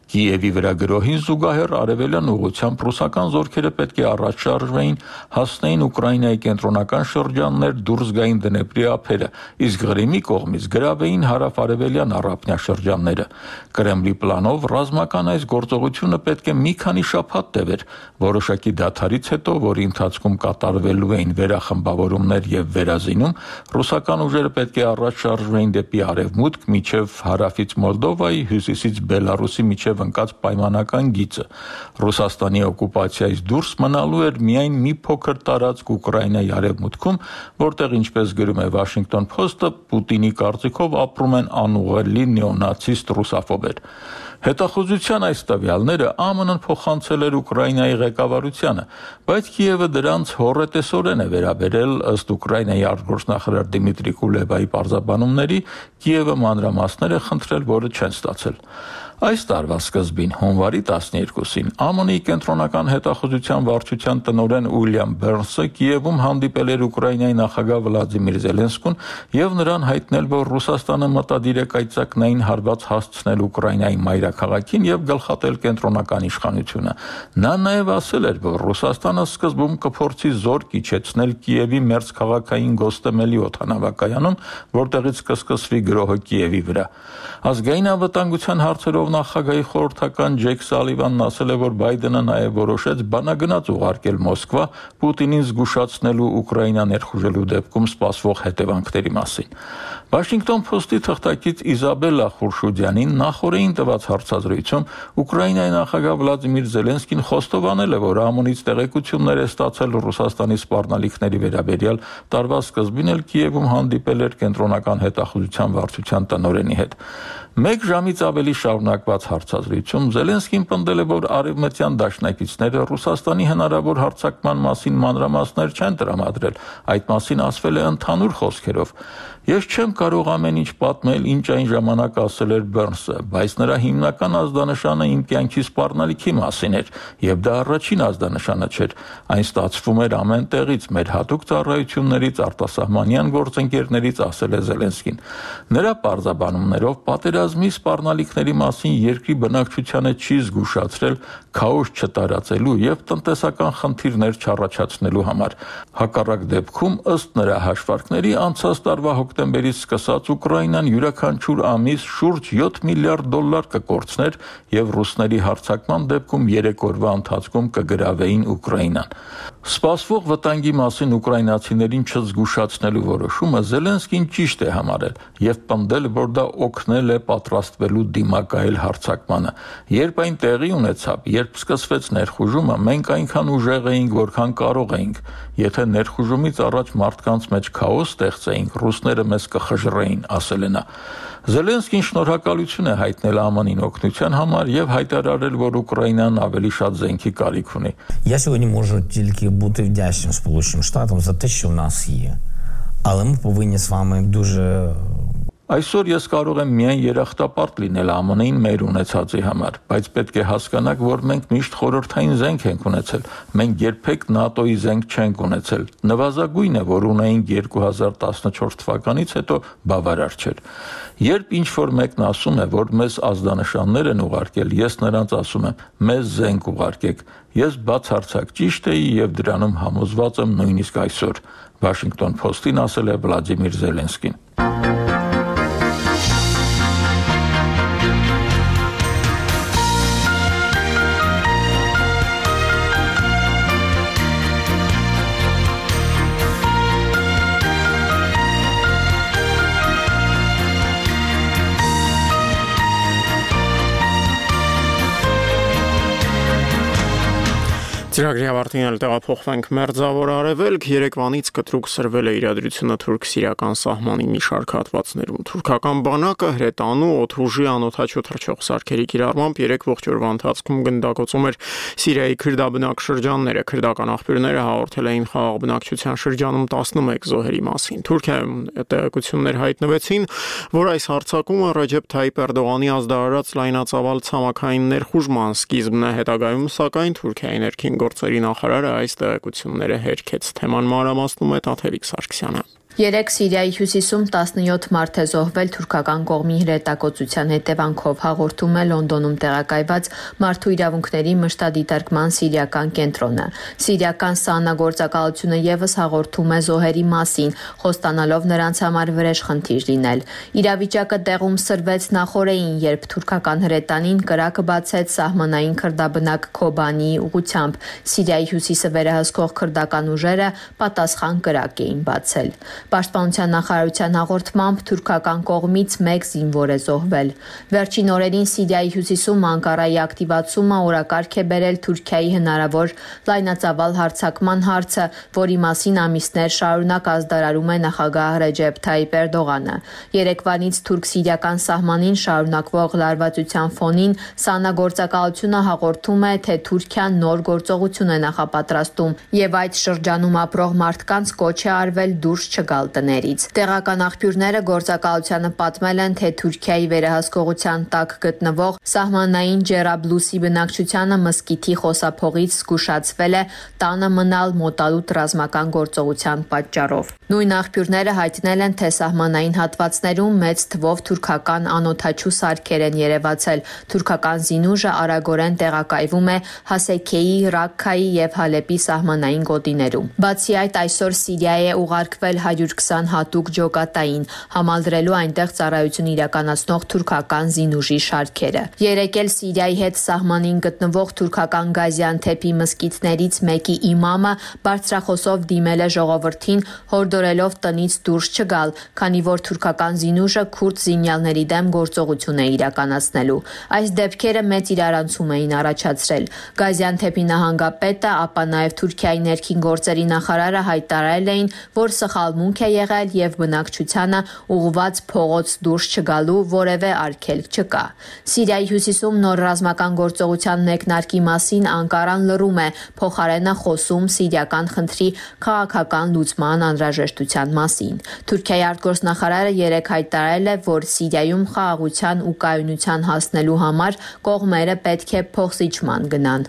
Կիևի վրա գրոհին զուգահեռ արևելյան ուղղությամբ ռուսական զորքերը պետք է առաջ շարժվեին, հասնեին Ուկրաինայի կենտրոնական շրջաններ, դուրս գային Դնեպրի ափերը, իսկ Ղրիմի կողմից գրավեին հարավ-արևելյան առափնյա շրջանները։ Կրեմլի պլանով ռազմական այս գործողությունը պետք է մի քանի շաբաթ տևեր, որոշակի դադարից հետո, որի ընթացքում կատարվելու էին վերախմբավորումներ եւ վերազինում, ռուսական ուժերը պետք է առաջ շարժվեին դեպի արևմուտք, մինչև հարավից Մոլդովայի, հյուսիսից Բելարուսի միջև ընկած պայմանական գիծը։ Ռուսաստանի օկուպացիայից դուրս մնալու էր միայն մի փոքր տարածք Ուկրաինայի արևմուտքում, որտեղ, ինչպես գրում է Washington Post-ը, Պուտինի կարծիքով ապրում են անուղղելի նեոնացիստ ռուսաֆոբեր։ Հետախուզության այս տվյալները ԱՄՆ-ն փոխանցել էր Ուկրաինայի ղեկավարությանը, բայց Կիևը դրանց հոռետեսորեն է վերաբերել, ըստ Ուկրաինայի արտգործնախարար Դիմիտրի Կուլեբայի պարզաբանումների, Կիևը մանրամասներ է խնդրել, որը չեն ստացել։ Այս տարվա սկզբին, հունվարի 12-ին, ԱՄՆ-ի կենտրոնական հետախուզության վարչության տնօրեն Ուիլյամ Բերնսը Կիևում հանդիպել էր Ուկրաինայի նախագահ Վլադիմիր Զելենսկուն եւ նրան հայտնել, որ Ռուսաստանը մտադիր է կայծակնային հարված հասցնել Ուկրաինայի մայրաքաղաքին եւ գլխատել կենտրոնական իշխանությունը։ Նա նաեւ ասել էր, որ Ռուսաստանը սկզբում կփորձի զորք իջեցնել Կիևի մերձքաղաքային Գոստեմելի օդանավակայանում, որտեղից կսկսվի գրոհը Կիևի վրա։ Ազգային անվտանգության հարցերով նախագահի խորհրդական Ջեք Սալիվանն ասել է, որ Բայդենը նաև որոշեց բանագնաց ուղարկել Մոսկվա Պուտինին զգուշացնելու Ուկրաինա ներխուժելու դեպքում սպասվող հետևանքների մասին։ Washington Post-ի թղթակից Իզաբելլա Խուրշուդյանին նախորդին տված հարցազրույցում Ուկրաինայի նախագահ Վլադիմիր Զելենսկին խոստովանել է, որ ԱՄՆ-ից տեղեկություններ է ստացել Ռուսաստանի սպառնալիքների վերաբերյալ, տարվա սկզբին էլ Կիևում հանդիպել էր կենտրոնական հետախուզության վարչության տնօրենի հետ։ Մեկ ժամից ավելի շարունակված հարցազրույցում Զելենսկին պնդել է, որ արևմտյան դաշնակիցները Ռուսաստանի հնարավոր հարձակման մասին մանրամասներ չեն տրամադրել, այդ մասին ասվել է ընդհանուր խոսքերով։ Ես չեմ կարող ամեն ինչ պատմել, ինչ այն ժամանակ ասել էր Բերնսը, բայց նրա հիմնական ազդանշանը իմ կյանքի սպառնալիքի մասին էր, եւ դա առաջին ազդանշանը չէր։ Այն ստացվում էր ամեն տեղից, մեր հատուկ ծառայություններից, արտասահմանյան գործընկերներից, ասել է Զելենսկին։ Նրա պարզաբանումներով պատերազմի սպառնալիքների մասին երկրի բնակչությանը չի զգուշացրել քաոս չտարածելու եւ տնտեսական խնդիրներ չառաջացնելու համար։ Հակառակ դեպքում, ըստ նրա հաշվարկների, անցած տարվա հոկտեմբերից սկսած Ուկրաինան յուրաքանչյուր ամիս շուրջ $7 միլիարդ կկորցներ եւ ռուսների հարձակման դեպքում 3 օրվա ընթացքում կգրավեին Ուկրաինան։ Սպասվող վտանգի մասին ուկրաինացիներին չզգուշացնելու որոշումը Զելենսկին ճիշտ է համարել եւ պնդել, որ դա օգնել է պատրաստվելու դիմակայել հարձակմանը։ Երբ այն տեղի ունեցավ, երբ սկսվեց ներխուժումը, մենք այնքան ուժեղ էինք, որքան կարող էինք։ Եթե ներխուժումից առաջ մարդկանց մեջ քաոս ստեղծեինք, ռուսները մեզ կխժռեին, ասել է նա։ Զելենսկին շնորհակալություն է հայտնել ԱՄՆ-ին օգնության համար եւ հայտարարել, որ Ուկրաինան ավելի շատ զենքի կարիք ունի։ Я сьогодні можу тільки бути вдячним Сполученим Штатам за те, що в нас є. Але ми повинні з вами дуже Այսօր ես կարող եմ միայն երախտապարտ լինել ԱՄՆ-ին մեր ունեցածի համար, բայց պետք է հասկանաք, որ մենք միշտ խորհրդային զենք ենք ունեցել, մենք երբեք ՆԱՏՕ-ի զենք չենք ունեցել, նվազագույնը, որ ունեինք 2014 թվականից հետո բավարար չէր։ Երբ ինչ-որ մեկն ասում է, որ մեզ ազդանշաններ են ուղարկել, ես նրանց ասում եմ, մեզ զենք ուղարկեք, ես բացարձակ ճիշտ էի եւ դրանում համոզված եմ նույնիսկ այսօր, Washington Post-ին ասել է Վլադիմիր Զելենսկին։ Ծրագրի ավարտին տեղափոխվենք Մերձավոր Արևելք, Երևանից կտրուկ սրվել է իրադրությունը թուրք-սիրիական սահմանի մի շարք հատվածներում։ Թուրքական բանակը հրետանու օդուժի անօդաչու թռչող սարքերի կիրառմամբ 3 ողջ օրվա ընթացքում գնդակոծում էր Սիրիայի քրդաբնակ շրջանները։ Քրդական աղբյուրները հաղորդել էին խաղաղ բնակչության շրջանում 11 զոհերի մասին։ Թուրքիայում տեղեկություններ հայտնվեցին, որ այս հարձակումը Ռեջեփ Թայիփ Էրդողանի ազդարարած լայնածավալ ցամաքային ներխուժման սկիզբն է, հետագայում սակայն Թուրքիայի ներքին գործերի նախարարը այս տեղեկությունները հերքեց։ Թեման մանրամասնում է Տաթևիկ Սարգսյանը։ Երեկ Սիրիայի հյուսիսում 17 մարդ է զոհվել թուրքական կողմի հրետակոծության հետևանքով, հաղորդում է Լոնդոնում տեղակայված Մարդու իրավունքների մշտադիտարկման սիրիական կենտրոնը։ Սիրիական ՍԱՆԱ գործակալությունը ևս հաղորդում է զոհերի մասին, խոստանալով նրանց համար վրեժ խնդիր լինել։ Իրավիճակը տեղում սրվեց նախօրեին, երբ թուրքական հրետանին կրակը բացեց սահմանային քրդաբնակ Քոբանիի ուղղությամբ։ Սիրիայի հյուսիսը վերահսկող քրդական ուժերը պատասխան կրակ էին բացել։ Պաշտպանության նախարարության հաղորդմամբ թուրքական կողմից 1 զինվոր է զոհվել։ Վերջին օրերին Սիրիայի հյուսիսում Անկարայի ակտիվացումը օրակարգ է բերել Թուրքիայի հնարավոր լայնածավալ հարձակման հարցը, որի մասին ամիսներ շարունակ ազդարարում է նախագահ Ռեջեփ Թայիպ Էրդողանը։ Երեկվանից թուրք-սիրիական սահմանին շարունակվող լարվածության ֆոնին ՍԱՆԱ գործակալությունը հաղորդում է, թե Թուրքիան նոր գործողություն է նախապատրաստում եւ այդ շրջանում ապրող մարդկանց կոչ է արվել դուրս չգալ տներից։ Տեղական աղբյուրները գործակալությանը պատմել են, թե Թուրքիայի վերահսկողության տակ գտնվող սահմանային Ջերաբլուսի բնակչությանը մսկիթի խոսափողից զգուշացվել է տանը մնալ մոտալուտ ռազմական գործողության պատճառով։ Նույն աղբյուրները հայտնել են, թե սահմանային հատվածներում մեծ թվով թուրքական անօդաչու սարքեր են երևացել։ Թուրքական զինուժը արագորեն տեղակայվում է Հասեքեի, Ռաքքայի եւ Հալեպի սահմանային գոտիներում։ Բացի այդ, այսօր Սիրիա է ուղարկվել 120 հատուկ ջոկատային, համալրելու այնտեղ ծառայություն իրականացնող թուրքական զինուժի շարքերը։ Երեկ էլ Սիրիայի հետ սահմանին գտնվող թուրքական Գազիանթեփի մզկիթներից մեկի իմամը բարձրախոսով դիմել է ժողովրդին, հորդորելով տնից դուրս չգալ, քանի որ թուրքական զինուժը քուրդ զինյալների դեմ գործողություն է իրականացնելու։ Այս դեպքերը մեծ իրարանցում էին առաջացրել։ Գազիանթեփի նահանգապետը, ապա նաև Թուրքիայի ներքին գործերի նախարարը հայտարարել էին, որ սխալմունք է եղել եւ բնակչությանը ուղղված փողոց դուրս չգալու որևէ արգելք չկա։ Սիրիայի հյուսիսում նոր ռազմական գործողության մեկնարկի մասին Անկարան լռում է, փոխարենը խոսում սիրիական խնդրի քաղաքական լուծման անհրաժեշտության մասին։ Թուրքիայի արտգործնախարարը երեկ հայտարարել է, որ Սիրիայում խաղաղության ու կայունության հասնելու համար կողմերը պետք է փոխզիջման գնան։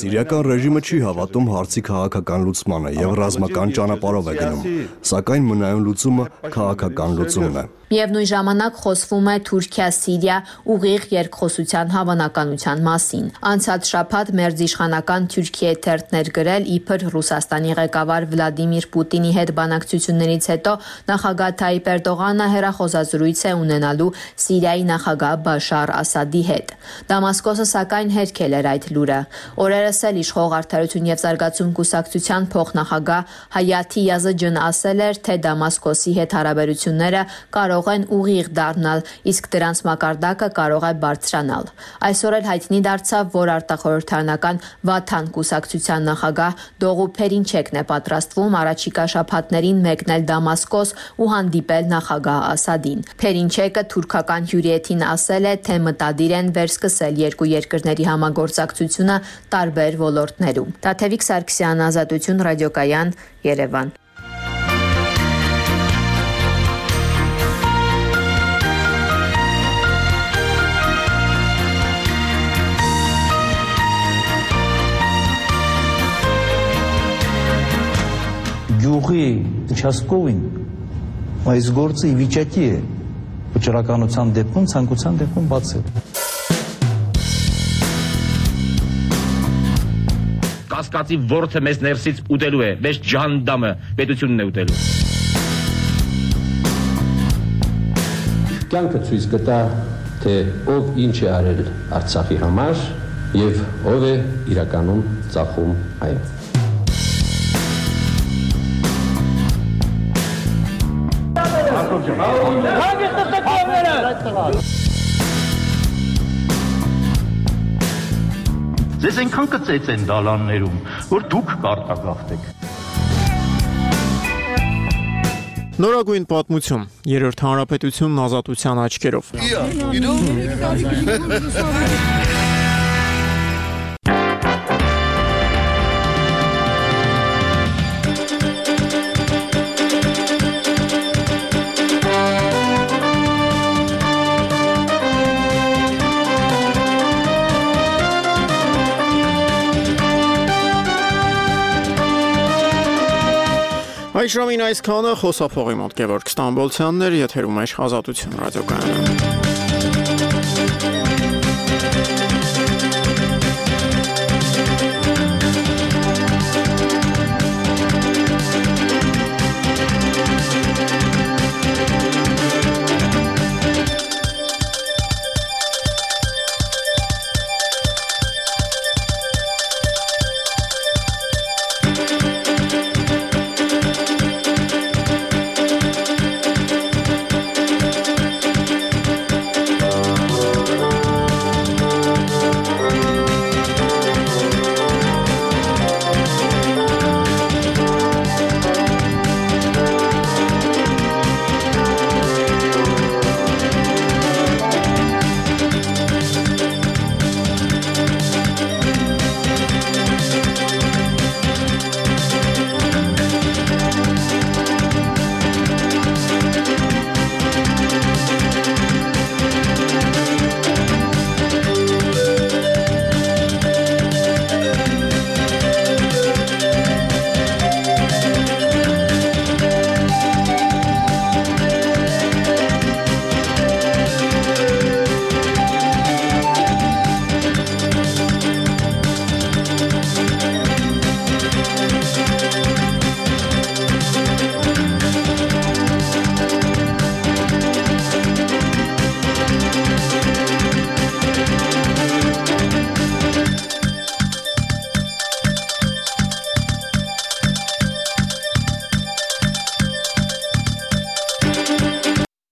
Սիրիական ռեժիմը չի հավատում հարցի քաղաքական լուծմանը եւ ռազմական ճանապարհով է գնում, սակայն մնայուն լուծումը քաղաքական լուծումն է։ Միևնույն ժամանակ խոսվում է Թուրքիա-Սիրիա ուղիղ երկխոսության հավանականության մասին։ Անցած շաբաթ մերձիշխանական Թուրքիայի թերթներ գրել, իբր Ռուսաստանի ղեկավար Վլադիմիր Պուտինի հետ բանակցություններից հետո նախագահ Թայիպ Էրդողանը հեռախոսազրույց է ունենալու Սիրիայի նախագահ Բաշար Ասադի հետ։ Դամասկոսը սակայն հերքել էր այդ լուրը։ Օրերս էլ իշխող Արդարություն եւ զարգացում կուսակցության փոխնախագահ Հայաթի Յազջն ասել էր, թե Դամասկոսի հետ հարաբերությունները կարող են ուղիղ դառնալ, իսկ դրանց մակարդակը կարող է բարձրանալ։ Այսօր էլ հայտնի դարձավ, որ արտախորհրդարանական Վաթան կուսակցության նախագահ Դողու Փերինչեկն է պատրաստվում առաջիկա շաբաթներին մեկնել Դամասկոս ու հանդիպել նախագահ Ասադին։ Փերինչեկը թուրքական հյուրիեթին ասել է, թե մտադիր են վերսկսել երկու երկրների համագործակցությունը տարբեր ոլորտներում։ Տաթևիկ Սարգսյան, Ազատություն, ռադիոկայան, Երևան։ Գյուղի участковին այս գործը ի վիճակի է վճռականության դեպքում, ցանկության դեպքում բացել։ Կասկածի ворթը մեզ ներսից ուտելու է, մեզ ջանդամը պետությունն է ուտելու։ Կյանքը ցույց կտա, թե ով ինչ է արել Արցախի համար եւ ով է իրականում ծախում այն։ Ձեզ այնքան կծեց են դալաններում, որ դուք կարտագաղթեք։ Նորագույն պատմություն, Երրորդ հանրապետությունն ազատության աչքերով։ Այժմին այսքանը խոսափողի մոտ Գևորգ Ստամբոլցյանն էր, եթերում է Ազատություն ռադիոկայանը։